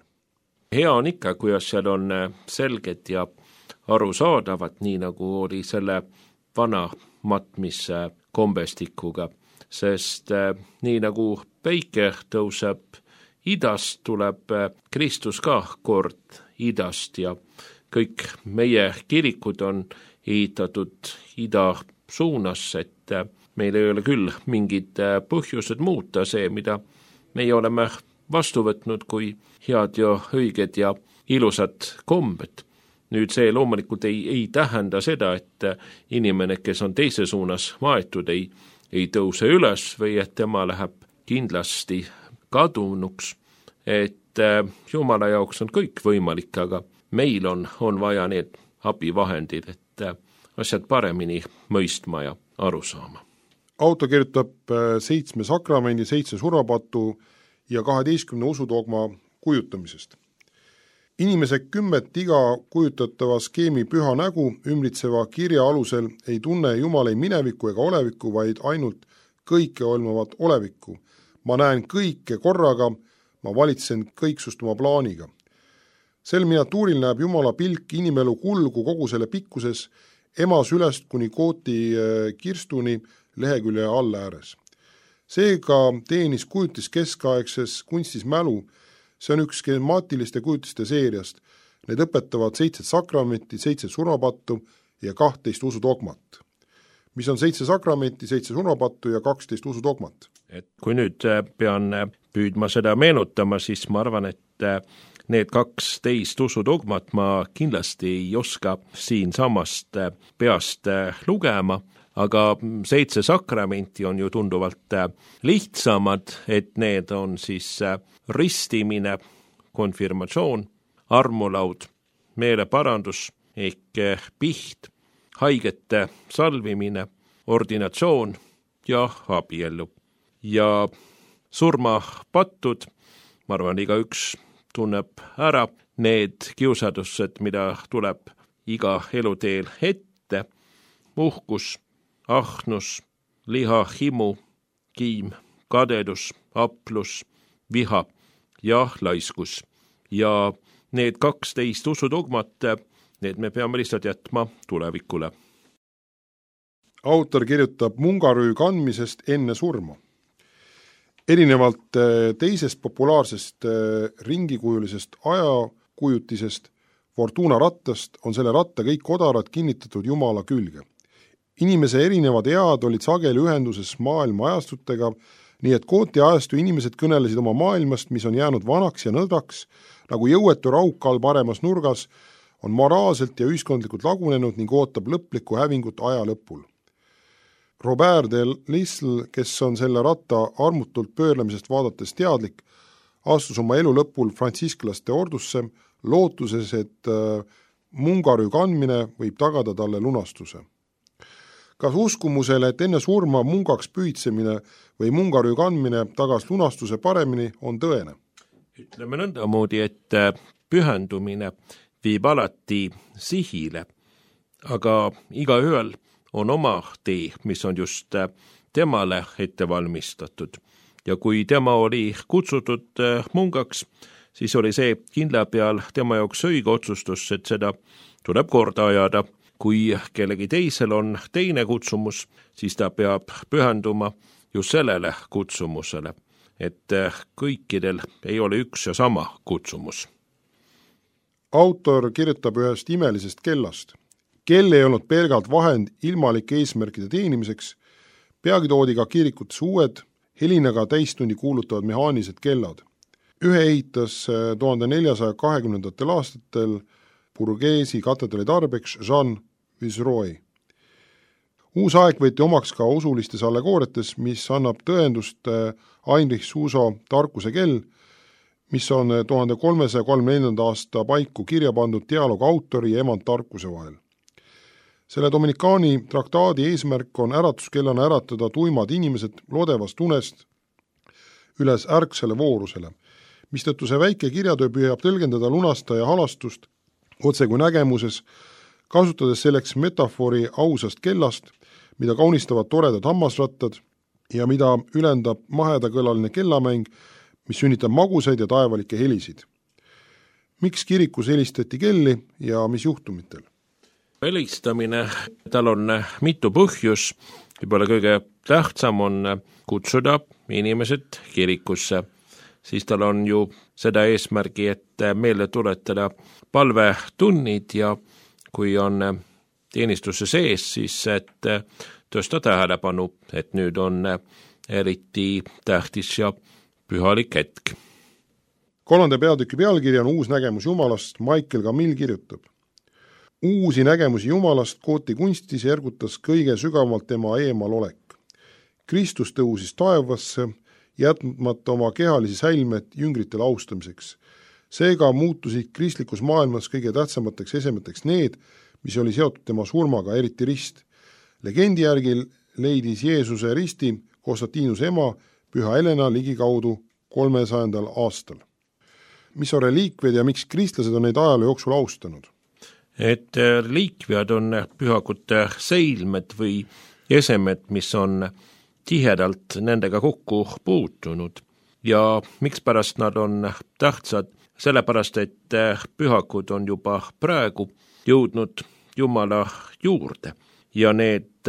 Hea on ikka, kuidas seal on selged ja arusaadavad, nii nagu oli selle vana matmise kombestikuga, sest nii nagu päike tõuseb idast, tuleb Kristus ka kord idast ja kõik meie kirikud on ehitatud ida suunas, et meil ei ole küll mingid põhjused muuta see, mida meie oleme vastu võtnud kui head ja õiged ja ilusad kombed. Nüüd see loomulikult ei tähenda seda, et inimene, kes on teise suunas maetud, ei tõuse üles või et tema läheb kindlasti kadunuks, et Jumala jaoks on kõik võimalik, aga meil on vaja need abivahendid, et asjad paremini mõistma ja aru saama. Autor kirjutab 7 sakramendi, 7 surmapatu ja 12 usudogma kujutamisest. Inimese 10 iga kujutatava skeemi püha nägu ümbritseva kirja alusel ei tunne Jumal ei mineviku ega oleviku, vaid ainult kõike olemavat olevikku. Ma näen kõike korraga, ma valitsen kõiksust oma plaaniga. Sel miniatuuril näeb Jumala pilk inimelu kulgu kogu selle pikkuses, ema sülest kuni Goethi kirstuni lehekülje all ääres. Seega teenis kujutis keskaegses kunstis mälu, see on üks skemaatiliste kujutiste seeriast. Need õpetavad 7 sakramenti, 7 surmapattu ja 12 usudogmat. Mis on 7 sakramenti, 7 surmapattu ja 12 usudogmat? Et kui nüüd pean püüdma seda meenutama, siis ma arvan, et need 12 usudogmat ma kindlasti ei oska siin samast peast lugema, aga 7 sakramenti on ju tunduvalt lihtsamad, et need on siis ristimine, konfirmatsioon, armulaud, meeleparandus ehk piht, haigete salvimine, ordinatsioon ja abiellu. Ja surmapattud, ma arvan, igaüks tunneb ära need kiusadused, mida tuleb iga eluteel ette, uhkus, ahnus, lihahimu, kiim, kadedus, aplus, viha ja laiskus. Ja need 12 usudogmat, need me peame lihtsalt jätma tulevikule. Autor kirjutab mungarüü kandmisest enne surma. Erinevalt teisest populaarsest ringikujulisest ajakujutisest Fortuna rattast on selle ratta kõik odarad kinnitatud Jumala külge. Inimese erinevad ead olid sageli ühenduses maailma ajastutega, nii et Goethi ajastu inimesed kõnelesid oma maailmast, mis on jäänud vanaks ja nõdaks, nagu jõuetu raukall paremas nurgas, on moraalselt ja ühiskondlikult lagunenud ning ootab lõplikku hävingut aja lõpul. Robert de Lisle, kes on selle ratta armutult pöörlemisest vaadates teadlik, astus oma elu lõpul frantsisklaste ordusse, lootuses, et mungarüü kandmine võib tagada talle lunastuse. Kas uskumusele, et enne surma mungaks püüdsemine või mungarüü kandmine tagas lunastuse paremini, on tõene? Ütleme nõndamoodi, et pühendumine viib alati sihile, aga igaühel on oma tee, mis on just temale ette valmistatud. Ja kui tema oli kutsutud mungaks, siis oli see kindla peal tema jaoks õige otsustus, et seda tuleb korda ajada. Kui kellegi teisel on teine kutsumus, siis ta peab pühenduma just sellele kutsumusele, et kõikidel ei ole üks ja sama kutsumus. Autor kirjutab ühest imelisest kellast. Kell ei olnud pelgalt vahend ilmalike eesmärkide teenimiseks, peagi toodi ka kirikutes uued, helinaga täistundi kuulutavad mehaanilised kellad. Ühe ehitas 1420. aastatel Bourgeoisi katedraali tarbeks Jean Viceroy. Uus aeg võeti omaks ka usulistes allegooriates, mis annab tõendust Heinrich Suso tarkuse kell, mis on 1334. aasta paiku kirja pandud dialoog autori ja emand tarkuse vahel. Selle Dominikaani traktaadi eesmärk on äratuskellana äratada tuimad inimesed lodevast unest üles ärksele voorusele, mistõttu see väike kirjatöö püüab tõlgendada lunastaja halastust otse kui nägemuses, kasutades selleks metafoori ausast kellast, mida kaunistavad toredad hammasrattad ja mida ülendab mahedakõlaline kellamäng, mis sünnitab magusaid ja taevalikke helisid. Miks kirikus helistati kelli ja mis juhtumitel? Helistamine, tal on mitu põhjus, võib-olla kõige tähtsam on kutsuda inimesed kirikusse, siis tal on ju seda eesmärgi, et meelde tuletada palvetunnid ja kui on teenistuse sees, siis et tõsta tähelepanu, et nüüd on eriti tähtis ja pühalik hetk. 3. peatüki pealkiri on Uus nägemus Jumalast. Michael Camille kirjutab. Uusi nägemusi Jumalast Kooti kunstis ergutas kõige sügavamalt tema eemalolek. Kristus tõusis taevasse, jätmata oma kehalisi säilmed jüngritele austamiseks. Seega muutusid kristlikus maailmas kõige tähtsamateks esemeteks need, mis oli seotud tema surmaga, eriti rist. Legendi järgi leidis Jeesuse risti Konstantinuse ema Püha Helena ligikaudu 300. aastal. Mis on reliikviad ja miks kristlased on neid ajaloo jooksul austanud? Et reliikviad on pühakute seilmed või esemed, mis on tihedalt nendega kokku puutunud. Ja mikspärast nad on tähtsad? Sellepärast, et pühakud on juba praegu jõudnud Jumala juurde ja need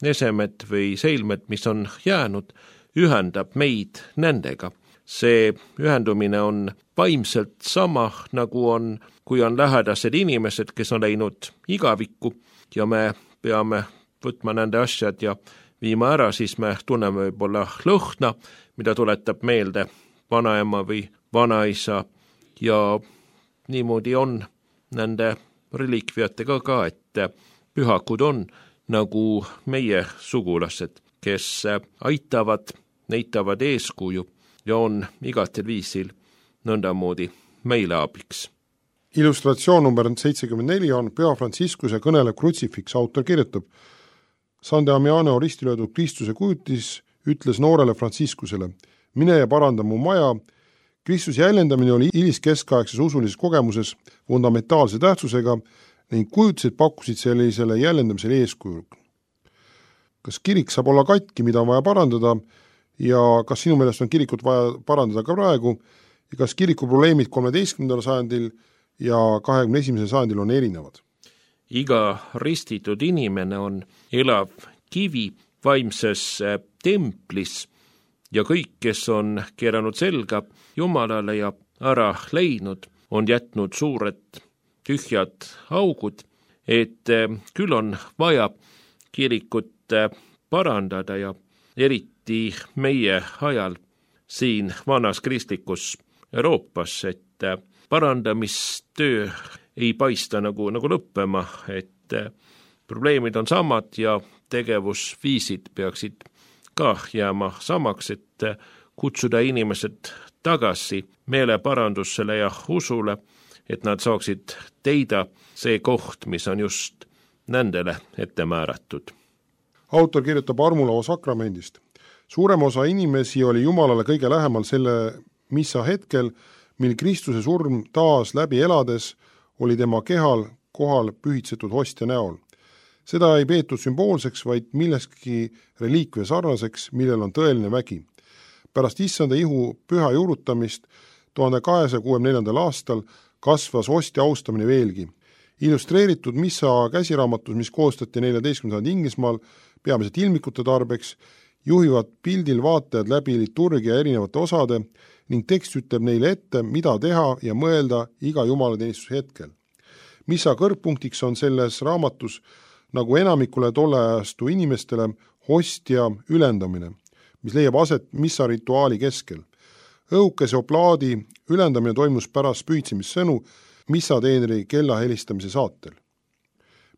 esemed või seilmed, mis on jäänud, ühendab meid nendega. See ühendumine on vaimselt sama, nagu on, kui on lähedased inimesed, kes on läinud igavikku ja me peame võtma nende asjad ja viima ära, siis me tunneme võib-olla lõhna, mida tuletab meelde vanaema või vanaisa ja niimoodi on nende reliikviatega ka, et pühakud on nagu meie sugulased, kes aitavad, näitavad eeskuju ja on igatel viisil nõndamoodi meile abiks. Illustratsioon number 74 on Püha Franciscuse kõnelev krutsifiks. Autor kirjutab, San Damiano ristilöödud Kristuse kujutis ütles noorele Franciscusele, mine ja paranda mu maja. Kristuse jäljendamine oli keskaegses usulises kogemuses fundamentaalse tähtsusega ning kujutised pakkusid sellisele jäljendamisele eeskuju. Kas kirik saab olla katki, mida on vaja parandada ja kas sinu meelest on kirikut vaja parandada ka praegu ja kas kiriku probleemid 13. sajandil ja 21. sajandil on erinevad? Iga ristitud inimene on elav kivi vaimses templis ja kõik, kes on keeranud selga Jumalale ja ära leidnud, on jätnud suured tühjad augud, et küll on vaja kirikut parandada ja eriti meie ajal siin vanas kristlikus Euroopas, et parandamistöö ei paista nagu lõppema, et probleemid on samad ja tegevusviisid peaksid ka jääma samaks, et kutsuda inimesed tagasi meeleparandusele ja usule, et nad saaksid teida see koht, mis on just nendele ette määratud. autor kirjutab armulao sakramendist. Suurem osa inimesi oli Jumalale kõige lähemal selle missa hetkel, mil Kristuse surm taas läbi elades oli tema kehal kohal pühitsetud hostia näol. Seda ei peetud sümboolseks, vaid millestki reliikvia sarnaseks, millel on tõeline vägi. Pärast issanda ihu püha juurutamist 1264. aastal kasvas hostia austamine veelgi. Illustreeritud missa käsiraamatus, mis koostati 14. Inglismaal peamiselt ilmikute tarbeks, juhivad pildil vaatajad läbi liturgia erinevate osade ning tekst ütleb neile ette, mida teha ja mõelda iga jumalateenistuse hetkel. Missa kõrgpunktiks on selles raamatus nagu enamikule tolleajastu inimestele hostia ülendamine, mis leiab aset missa rituaali keskel. Õhukese oplaadi ülendamine toimus pärast pühitsemissõnu missateenri kella helistamise saatel.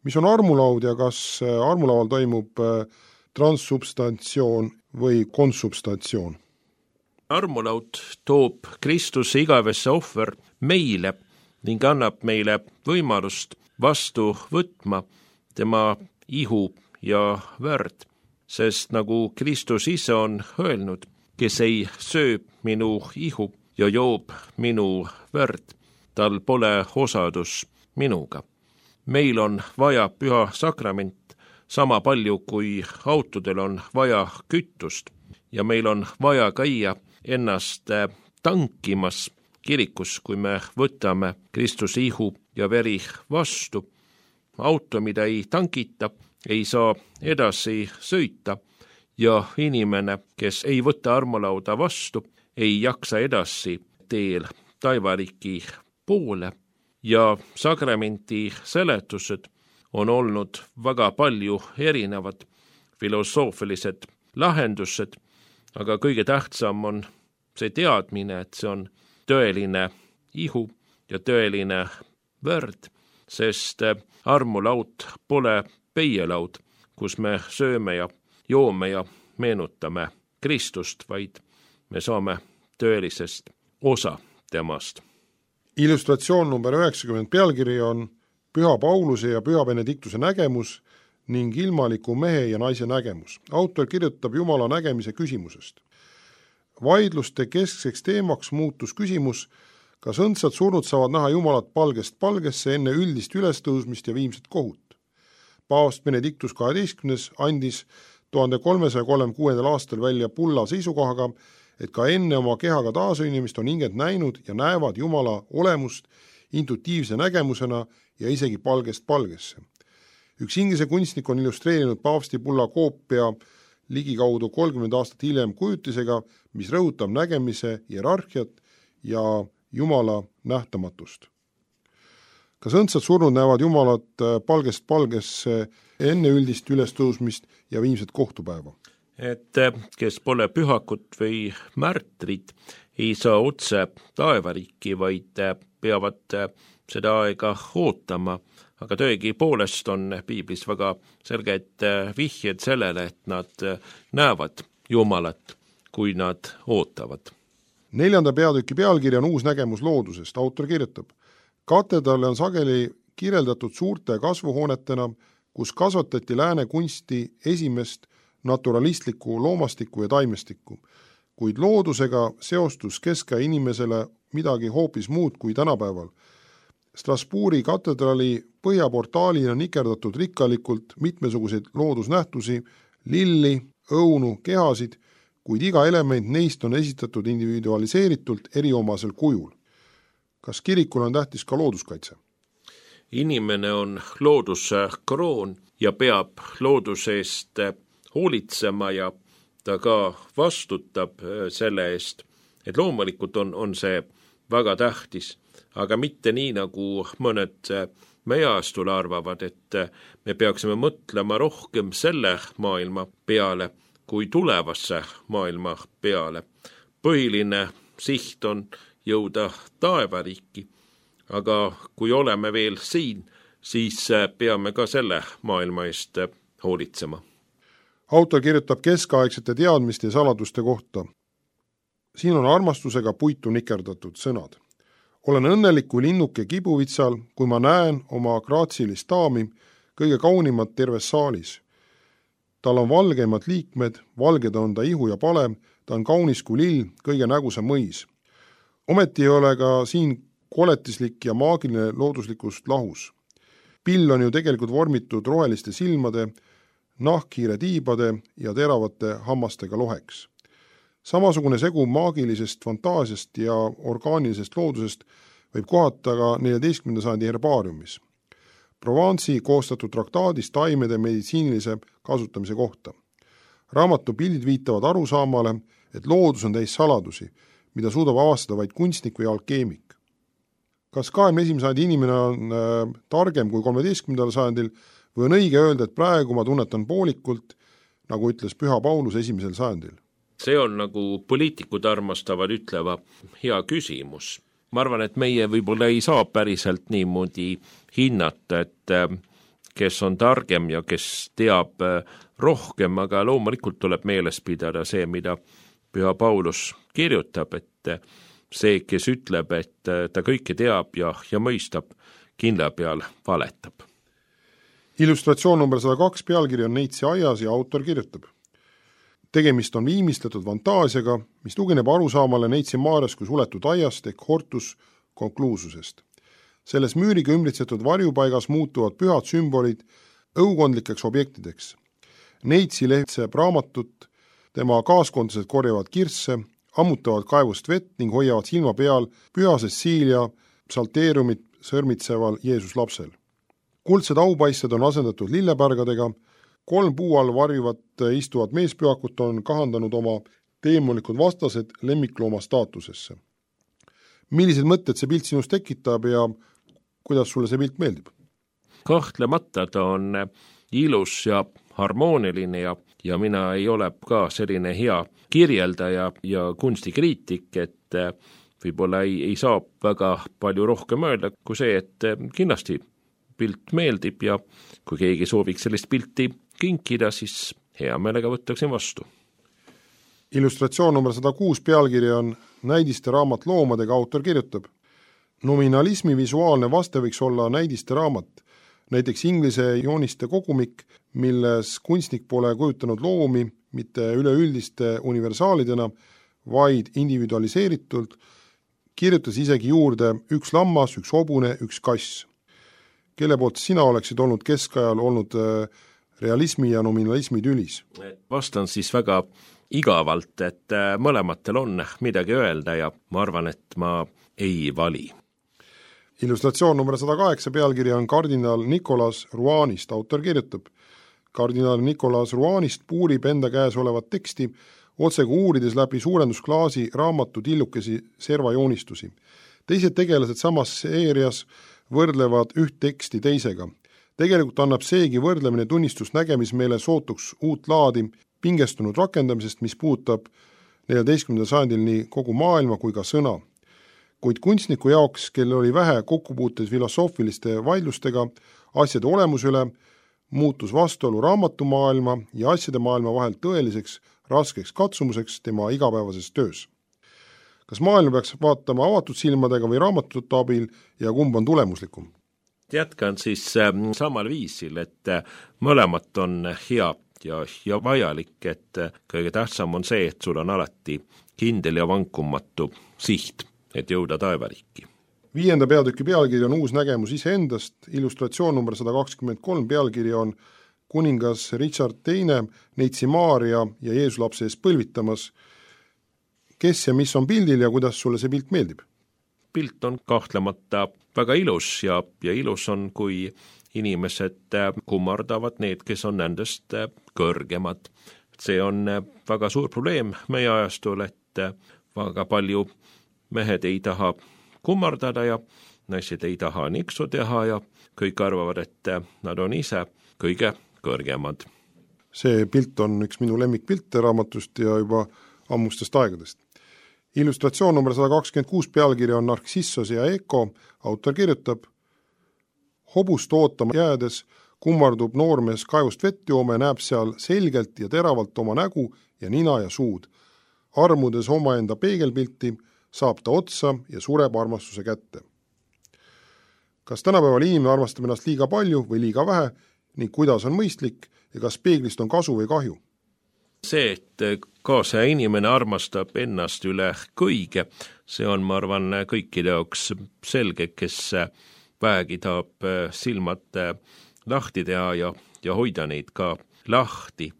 Mis on armulaud ja kas armulaual toimub transsubstantsioon või konsubstantsioon? Armulaud toob Kristuse igavesse ohver meile ning annab meile võimalust vastu võtma tema ihu ja verd, sest nagu Kristus ise on öelnud, kes ei söö minu ihu ja joob minu verd, tal pole osadus minuga. Meil on vaja püha sakrament sama palju, kui autodel on vaja kütust ja meil on vaja käia ennast tankimas kirikus, kui me võtame Kristuse ihu ja veri vastu. Auto, mida ei tankita, ei saa edasi sõita ja inimene, kes ei võta armulauda vastu, ei jaksa edasi teel taivariiki poole ja sakramenti seletused on olnud väga palju erinevad filosoofilised lahendused, aga kõige tähtsam on see teadmine, et see on tõeline ihu ja tõeline verd, sest armulaud pole peielaud, kus me sööme ja joome ja meenutame Kristust, vaid me saame tõelisest osa temast. Illustratsioon number 90 pealkiri on Püha Pauluse ja Püha Benediktuse nägemus ning ilmaliku mehe ja naise nägemus. Autor kirjutab Jumala nägemise küsimusest. Vaidluste keskseks teemaks muutus küsimus, kas õndsad surnud saavad näha Jumalat palgest palgesse enne üldist ülestõusmist ja viimset kohut. Paavst Benediktus 12. andis 1336. aastal välja bulla seisukohaga, et ka enne oma kehaga taasühinemist on hinged näinud ja näevad Jumala olemust intuitiivse nägemusena ja isegi palgest palgesse. Üks Inglise kunstnik on illustreerinud paavsti bulla koopia ligikaudu 30 aastat hiljem kujutisega, mis rõhutab nägemise hierarhiat ja Jumala nähtamatust. Kas õndsad surnud näevad Jumalat palgest palgesse enne üldist ülestõusmist ja viimset kohtupäeva? Et kes pole pühakut või märtrid, ei saa otse taevariiki, vaid peavad seda aega ootama, aga tõegi poolest on piiblis väga selged vihjed sellele, et nad näevad Jumalat, kui nad ootavad. 4. peatüki pealkiri on uus nägemus loodusest. Autor kirjutab, katedraale on sageli kirjeldatud suurte kasvuhoonetena, kus kasvatati lääne kunsti esimest naturalistlikku loomastikku ja taimestikku, kuid loodusega seostus keskaja inimesele midagi hoopis muud kui tänapäeval. Strasbourgi katedraali põhjaportaalina nikerdatud rikkalikult mitmesuguseid loodusnähtusi, lilli, õunu, kehasid, kuid iga element neist on esitatud individualiseeritult eriomasel kujul. Kas kirikul on tähtis ka looduskaitse? Inimene on looduse kroon ja peab looduse eest hoolitsema ja ta ka vastutab selle eest, et loomulikult on see väga tähtis, aga mitte nii, nagu mõned meie ajastul arvavad, et me peaksime mõtlema rohkem selle maailma peale kui tulevasse maailma peale. Põhiline siht on jõuda taevariiki, aga kui oleme veel siin, siis peame ka selle maailma eest hoolitsema. Autor kirjutab keskaegsete teadmiste ja saladuste kohta. Siin on armastusega puitu nikerdatud sõnad. Olen õnnelik kui linnuke kibuvitsal, kui ma näen oma graatsilist daami, kõige kaunimat terves saalis. tal on valgeimad liikmed, valged on ta ihu ja pale, ta on kaunis kui lill, kõige nägusam mõis. Ometi ei ole ka siin koletislik ja maagiline looduslikust lahus. Pill on ju tegelikult vormitud roheliste silmade, nahkhiire tiibade ja teravate hammastega loheks. Samasugune segu maagilisest fantaasiast ja orgaanilisest loodusest võib kohata ka 14. sajandi herbaariumis. Provence'i koostatud traktaadis taimede meditsiinilise kasutamise kohta. Raamatu pildid viitavad arusaamale, et loodus on täis saladusi, mida suudab avastada vaid kunstnik või alkeemik. Kas 21. sajandi inimene on targem kui 13. sajandil või on õige öelda, et praegu ma tunnetan poolikult, nagu ütles Püha Paulus 1. sajandil? See on, nagu poliitikud armastavad ütleva, hea küsimus. Ma arvan, et meie võib-olla ei saa päriselt niimoodi hinnata, et kes on targem ja kes teab rohkem, aga loomulikult tuleb meeles pidada see, mida Püha Paulus kirjutab, et see, kes ütleb, et ta kõike teab ja mõistab, kindla peal valetab. Illustratsioon number 102 pealkiri on Neitsi aias ja autor kirjutab. Tegemist on viimistletud fantaasiaga, mis tugineb arusaamale Neitsi Maarjas kui suletud aiast ehk hortus konkluususest. Selles müüriga ümbritsetud varjupaigas muutuvad pühad sümbolid õukondlikeks objektideks. Neitsi lehtseb raamatut, tema kaaskondlased korjavad kirsse, ammutavad kaevust vett ning hoiavad silma peal püha Cecilia psalteeriumit sõrmitseval Jeesus lapsel. Kuldsed aupaisted on asendatud lillepärgadega, 3 puu all varjuvat istuvad meespühakut on kahandanud oma teemonikud vastased lemmiklooma staatusesse. Millised mõtted see pilt sinust tekitab ja kuidas sulle see pilt meeldib? Kahtlemata ta on ilus ja harmooniline ja mina ei ole ka selline hea kirjeldaja ja kunstikriitik, et võib-olla ei saa väga palju rohkem öelda kui see, et kindlasti pilt meeldib ja kui keegi sooviks sellist pilti kinkida, siis hea meelega võtaksin vastu. Illustratsioon number 106 pealkiri on Näidiste raamat loomadega, autor kirjutab. Nominalismi visuaalne vaste võiks olla näidiste raamat, näiteks inglise jooniste kogumik, milles kunstnik pole kujutanud loomi mitte üleüldiste universaalidena, vaid individualiseeritult, kirjutas isegi juurde 1 lammas, 1 hobune, 1 kass. Kelle poolt sina oleksid olnud keskajal olnud realismi ja nominalismi tülis? Vastan siis väga igavalt, et mõlematel on midagi öelda ja ma arvan, et ma ei vali. Illustratsioon number 108 pealkiri on kardinal Nicolas Rouanist, autor kirjutab. Kardinal Nicolas Rouanist puurib enda käes olevat teksti, otsega uurides läbi suurendusklaasi raamatu tillukesi servajoonistusi. Teised tegelased samas seerias võrdlevad üht teksti teisega. Tegelikult annab seegi võrdlemine tunnistust nägemismeele sootuks uut laadi pingestunud rakendamisest, mis puudutab 14. sajandil nii kogu maailma kui ka sõna. Kuid kunstniku jaoks, kel oli vähe kokkupuuteid filosoofiliste vaidlustega asjade olemuse üle, muutus vastuolu raamatumaailma ja asjade maailma vahel tõeliseks raskeks katsumuseks tema igapäevases töös. Kas maailma peaks vaatama avatud silmadega või raamatute abil ja kumb on tulemuslikum? Jätkan siis samal viisil, et mõlemat on hea ja vajalik, et kõige tähtsam on see, et sul on alati kindel ja vankumatu siht, et jõuda taevariiki. 5. peatüki pealkiri on uus nägemus iseendast, illustratsioon number 123 pealkiri on kuningas Richard II Neitsi Maarja ja Jeesus lapse ees põlvitamas. Kes ja mis on pildil ja kuidas sulle see pilt meeldib? Pilt on kahtlemata väga ilus ja ilus on, kui inimesed kummardavad need, kes on nendest kõrgemad. See on väga suur probleem meie ajastul, et väga palju mehed ei taha kummardada ja naised ei taha niksu teha ja kõik arvavad, et nad on ise kõige kõrgemad. See pilt on üks minu lemmikpilte raamatust ja juba ammustest aegadest. Illustratsioon number 126 pealkiri on Narcissos ja Eko, autor kirjutab. Hobust ootama jäädes kummardub noormees kaevust vett jooma ja näeb seal selgelt ja teravalt oma nägu ja nina ja suud. Armudes omaenda peegelpilti saab ta otsa ja sureb armastuse kätte. Kas tänapäeval inimene armastab ennast liiga palju või liiga vähe ning kuidas on mõistlik ja kas peeglist on kasu või kahju? See, et kaasaja inimene armastab ennast üle kõige, see on, ma arvan, kõikide jaoks selge, kes vähegi tahab silmad lahti teha ja hoida neid ka lahti.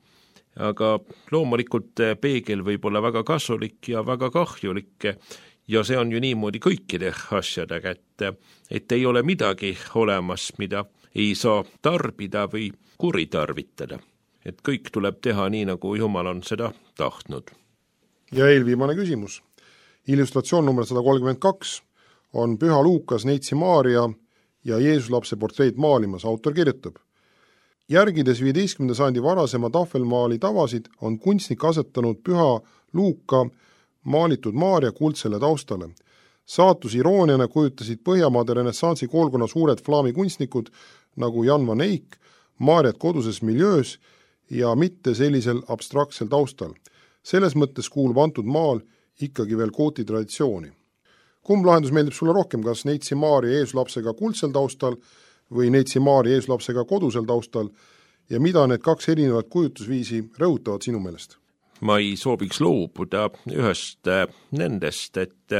Aga loomulikult peegel võib olla väga kasulik ja väga kahjulik ja see on ju niimoodi kõikide asjadega, et ei ole midagi olemas, mida ei saa tarbida või kuritarvitada. Et kõik tuleb teha nii, nagu Jumal on seda tahtnud. Ja eelviimane küsimus. Illustratsioon number 132 on Püha Luukas Neitsi Maaria ja Jeesuslapse portreet maalimas. Autor kirjutab: järgides 15. sajandi varasema tahvelmaali tavasid on kunstnik asetanud Püha Luuka maalitud Maaria kuldsele taustale. Saatus irooniana kujutasid Põhjamaade renessansi koolkonna suured flaami kunstnikud nagu Jan van Eyck Maariat koduses miljöös ja mitte sellisel abstraktsel taustal. Selles mõttes kuulub antud maal ikkagi veel kooti traditsiooni. Kumb lahendus meeldib sulle rohkem, kas Neitsi Maaria Jeesuslapsega kuldsel taustal või Neitsi Maaria Jeesuslapsega kodusel taustal ja mida need kaks erinevat kujutusviisi rõhutavad sinu meelest? Ma ei sooviks loobuda ühest nendest, et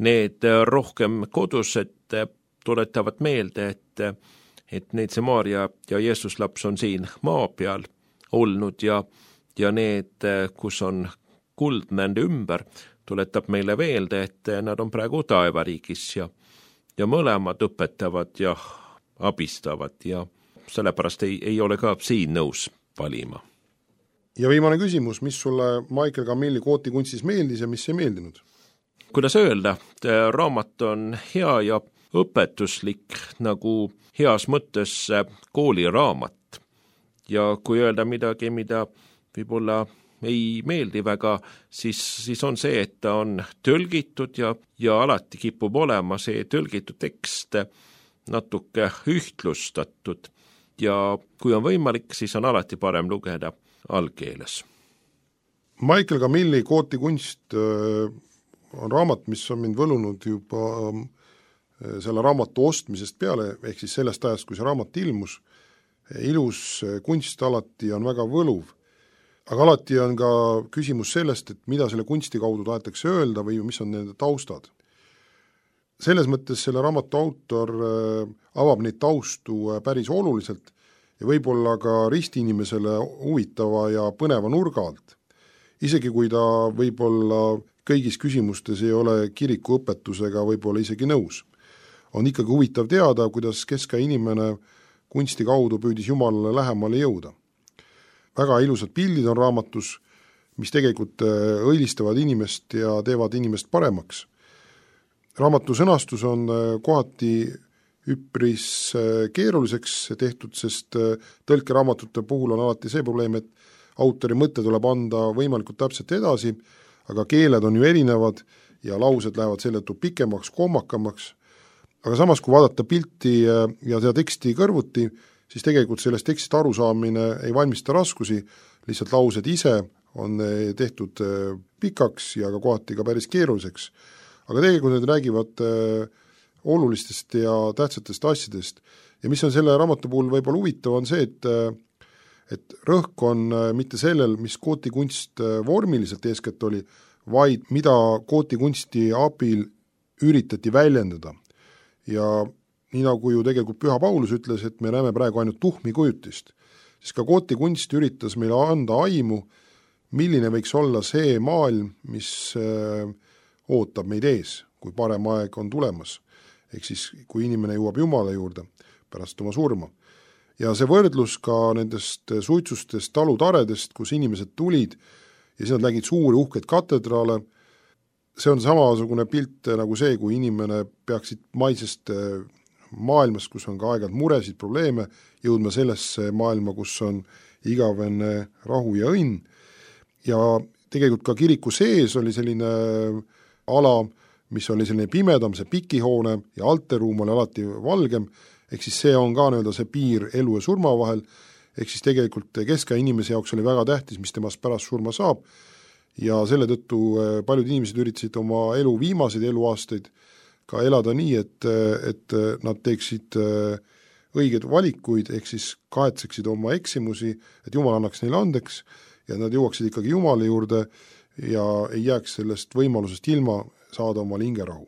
need rohkem kodused tuletavad meelde, et Neitsi Maaria ja Jeesuslaps on siin maa peal olnud ja need, kus on kuld nende ümber, tuletab meile veelde, et nad on praegu taevariigis ja mõlemad õpetavad ja abistavad ja sellepärast ei ole ka siin nõus valima. Ja viimane küsimus, mis sulle Michael Camilli kooti kunstis meeldis ja mis ei meeldinud? Kuidas öelda, raamat on hea ja õpetuslik nagu heas mõttes kooliraamat. Ja kui öelda midagi, mida võib-olla ei meeldi väga, siis on see, et ta on tõlgitud ja alati kipub olema see tõlgitud tekst natuke ühtlustatud ja kui on võimalik, siis on alati parem lugeda algkeeles. Michael Camilli kooti kunst on raamat, mis on mind võlunud juba selle raamatu ostmisest peale, ehk siis sellest ajast, kui see raamat ilmus. Ilus kunst alati on väga võluv, aga alati on ka küsimus sellest, et mida selle kunsti kaudu tahetakse öelda või mis on nende taustad. Selles mõttes selle raamatu autor avab neid taustu päris oluliselt ja võib-olla ka ristiinimesele huvitava ja põneva nurga alt. Isegi kui ta võib-olla kõigis küsimustes ei ole kiriku õpetusega võib-olla isegi nõus. On ikkagi huvitav teada, kuidas keska inimene kunsti kaudu püüdis Jumalale lähemale jõuda. Väga ilusad pildid on raamatus, mis tegelikult õilistavad inimest ja teevad inimest paremaks. Raamatu sõnastus on kohati üpris keeruliseks tehtud, sest tõlkeraamatute puhul on alati see probleem, et autori mõte tuleb anda võimalikult täpselt edasi, aga keeled on ju erinevad ja laused lähevad seetõttu pikemaks, kohmakamaks. Aga samas, kui vaadata pilti ja seda teksti kõrvuti, siis tegelikult sellest tekstist arusaamine ei valmista raskusi, lihtsalt laused ise on tehtud pikaks ja ka kohati ka päris keeruliseks. Aga tegelikult need räägivad olulistest ja tähtsatest asjadest. Ja mis on selle raamatu puhul võib-olla huvitav, on see, et rõhk on mitte sellel, mis kootikunst vormiliselt eeskätt oli, vaid mida kootikunsti abil üritati väljendada. Ja nii nagu ju tegelikult Püha Paulus ütles, et me näeme praegu ainult tuhmi kujutist, siis ka kootikunst üritas meile anda aimu, milline võiks olla see maailm, mis ootab meid ees, kui parem aeg on tulemas. Ehk siis, kui inimene jõuab Jumala juurde pärast oma surma. Ja see võrdlus ka nendest suitsustest, talutaredest, kus inimesed tulid ja siis nad nägid suuri uhkeid katedraale. See on samasugune pilt nagu see, kui inimene peaksid maisest maailmast, kus on ka aeg-ajalt muresid, probleeme, jõudma sellesse maailma, kus on igavene rahu ja õnn. Ja tegelikult ka kiriku sees oli selline ala, mis oli selline pimedam, see pikihoone ja alteruum oli alati valgem, ehk siis see on ka see piir elu ja surma vahel, ehk siis tegelikult keska inimese jaoks oli väga tähtis, mis temast pärast surma saab, ja selle tõttu paljud inimesed üritasid oma elu viimaseid eluaastaid ka elada nii, et nad teeksid õigeid valikuid, ehk siis kahetseksid oma eksimusi, et Jumal annaks neile andeks ja nad jõuaksid ikkagi Jumala juurde ja ei jääks sellest võimalusest ilma saada omale hingerahu.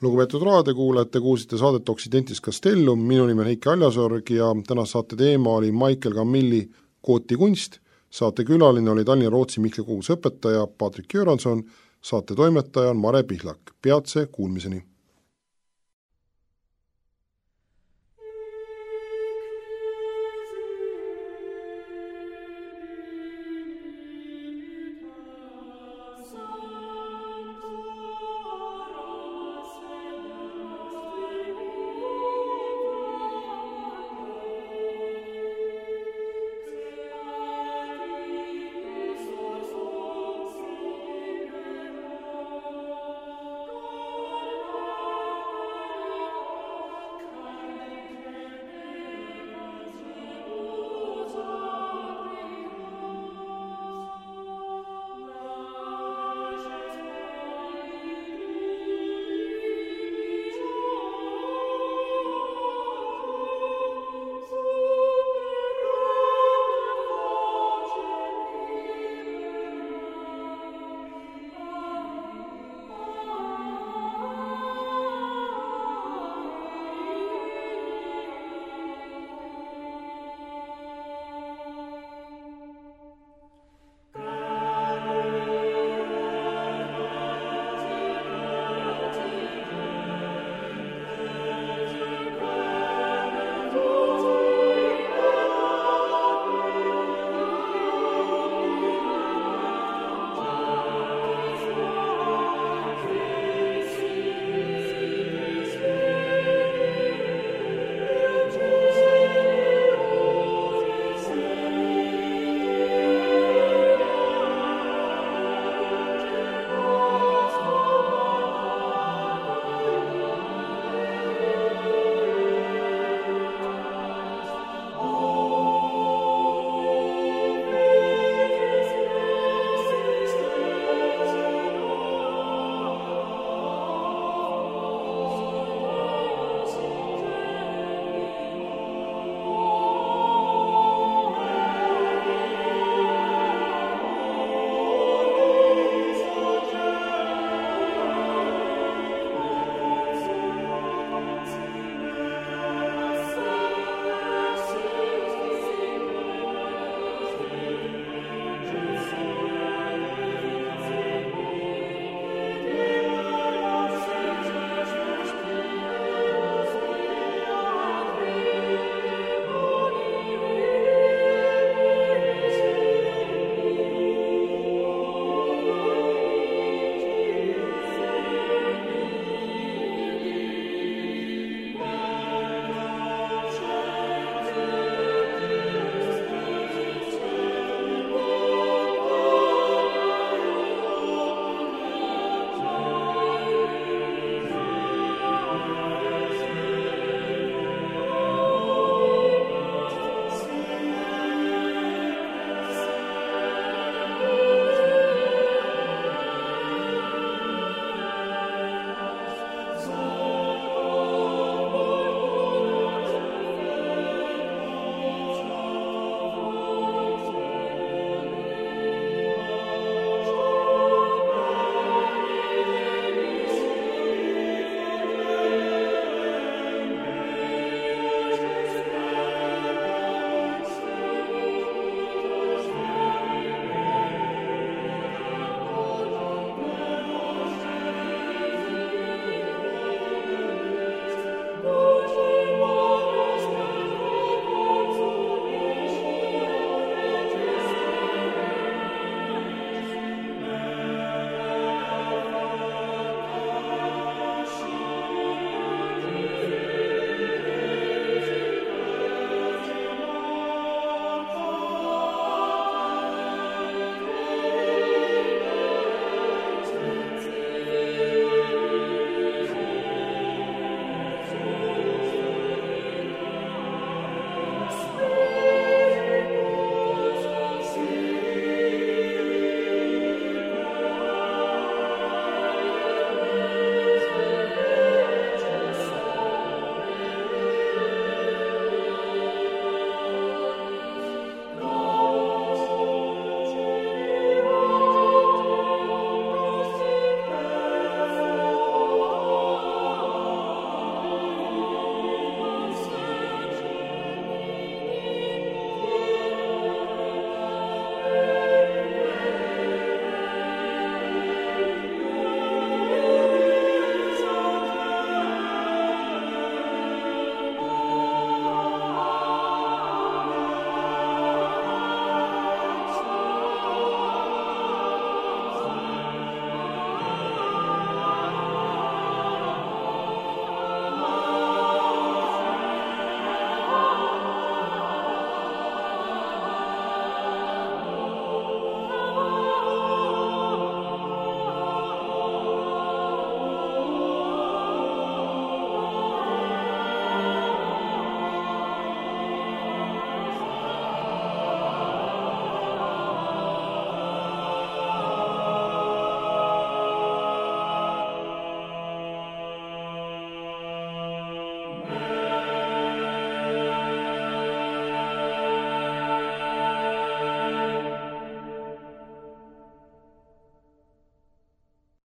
Lugupeetud raadiokuulajad, te kuulsite saadet Occidentis Castellum, minu nimi on Heiki Aljasorg ja tänase saate teema oli Michael Camilli Kooti kunst, saate külaline oli Tallinna Rootsi Mihkli koguse õpetaja Patrik Göranson, saate toimetaja on Mare Pihlak. Peatse kuulmiseni!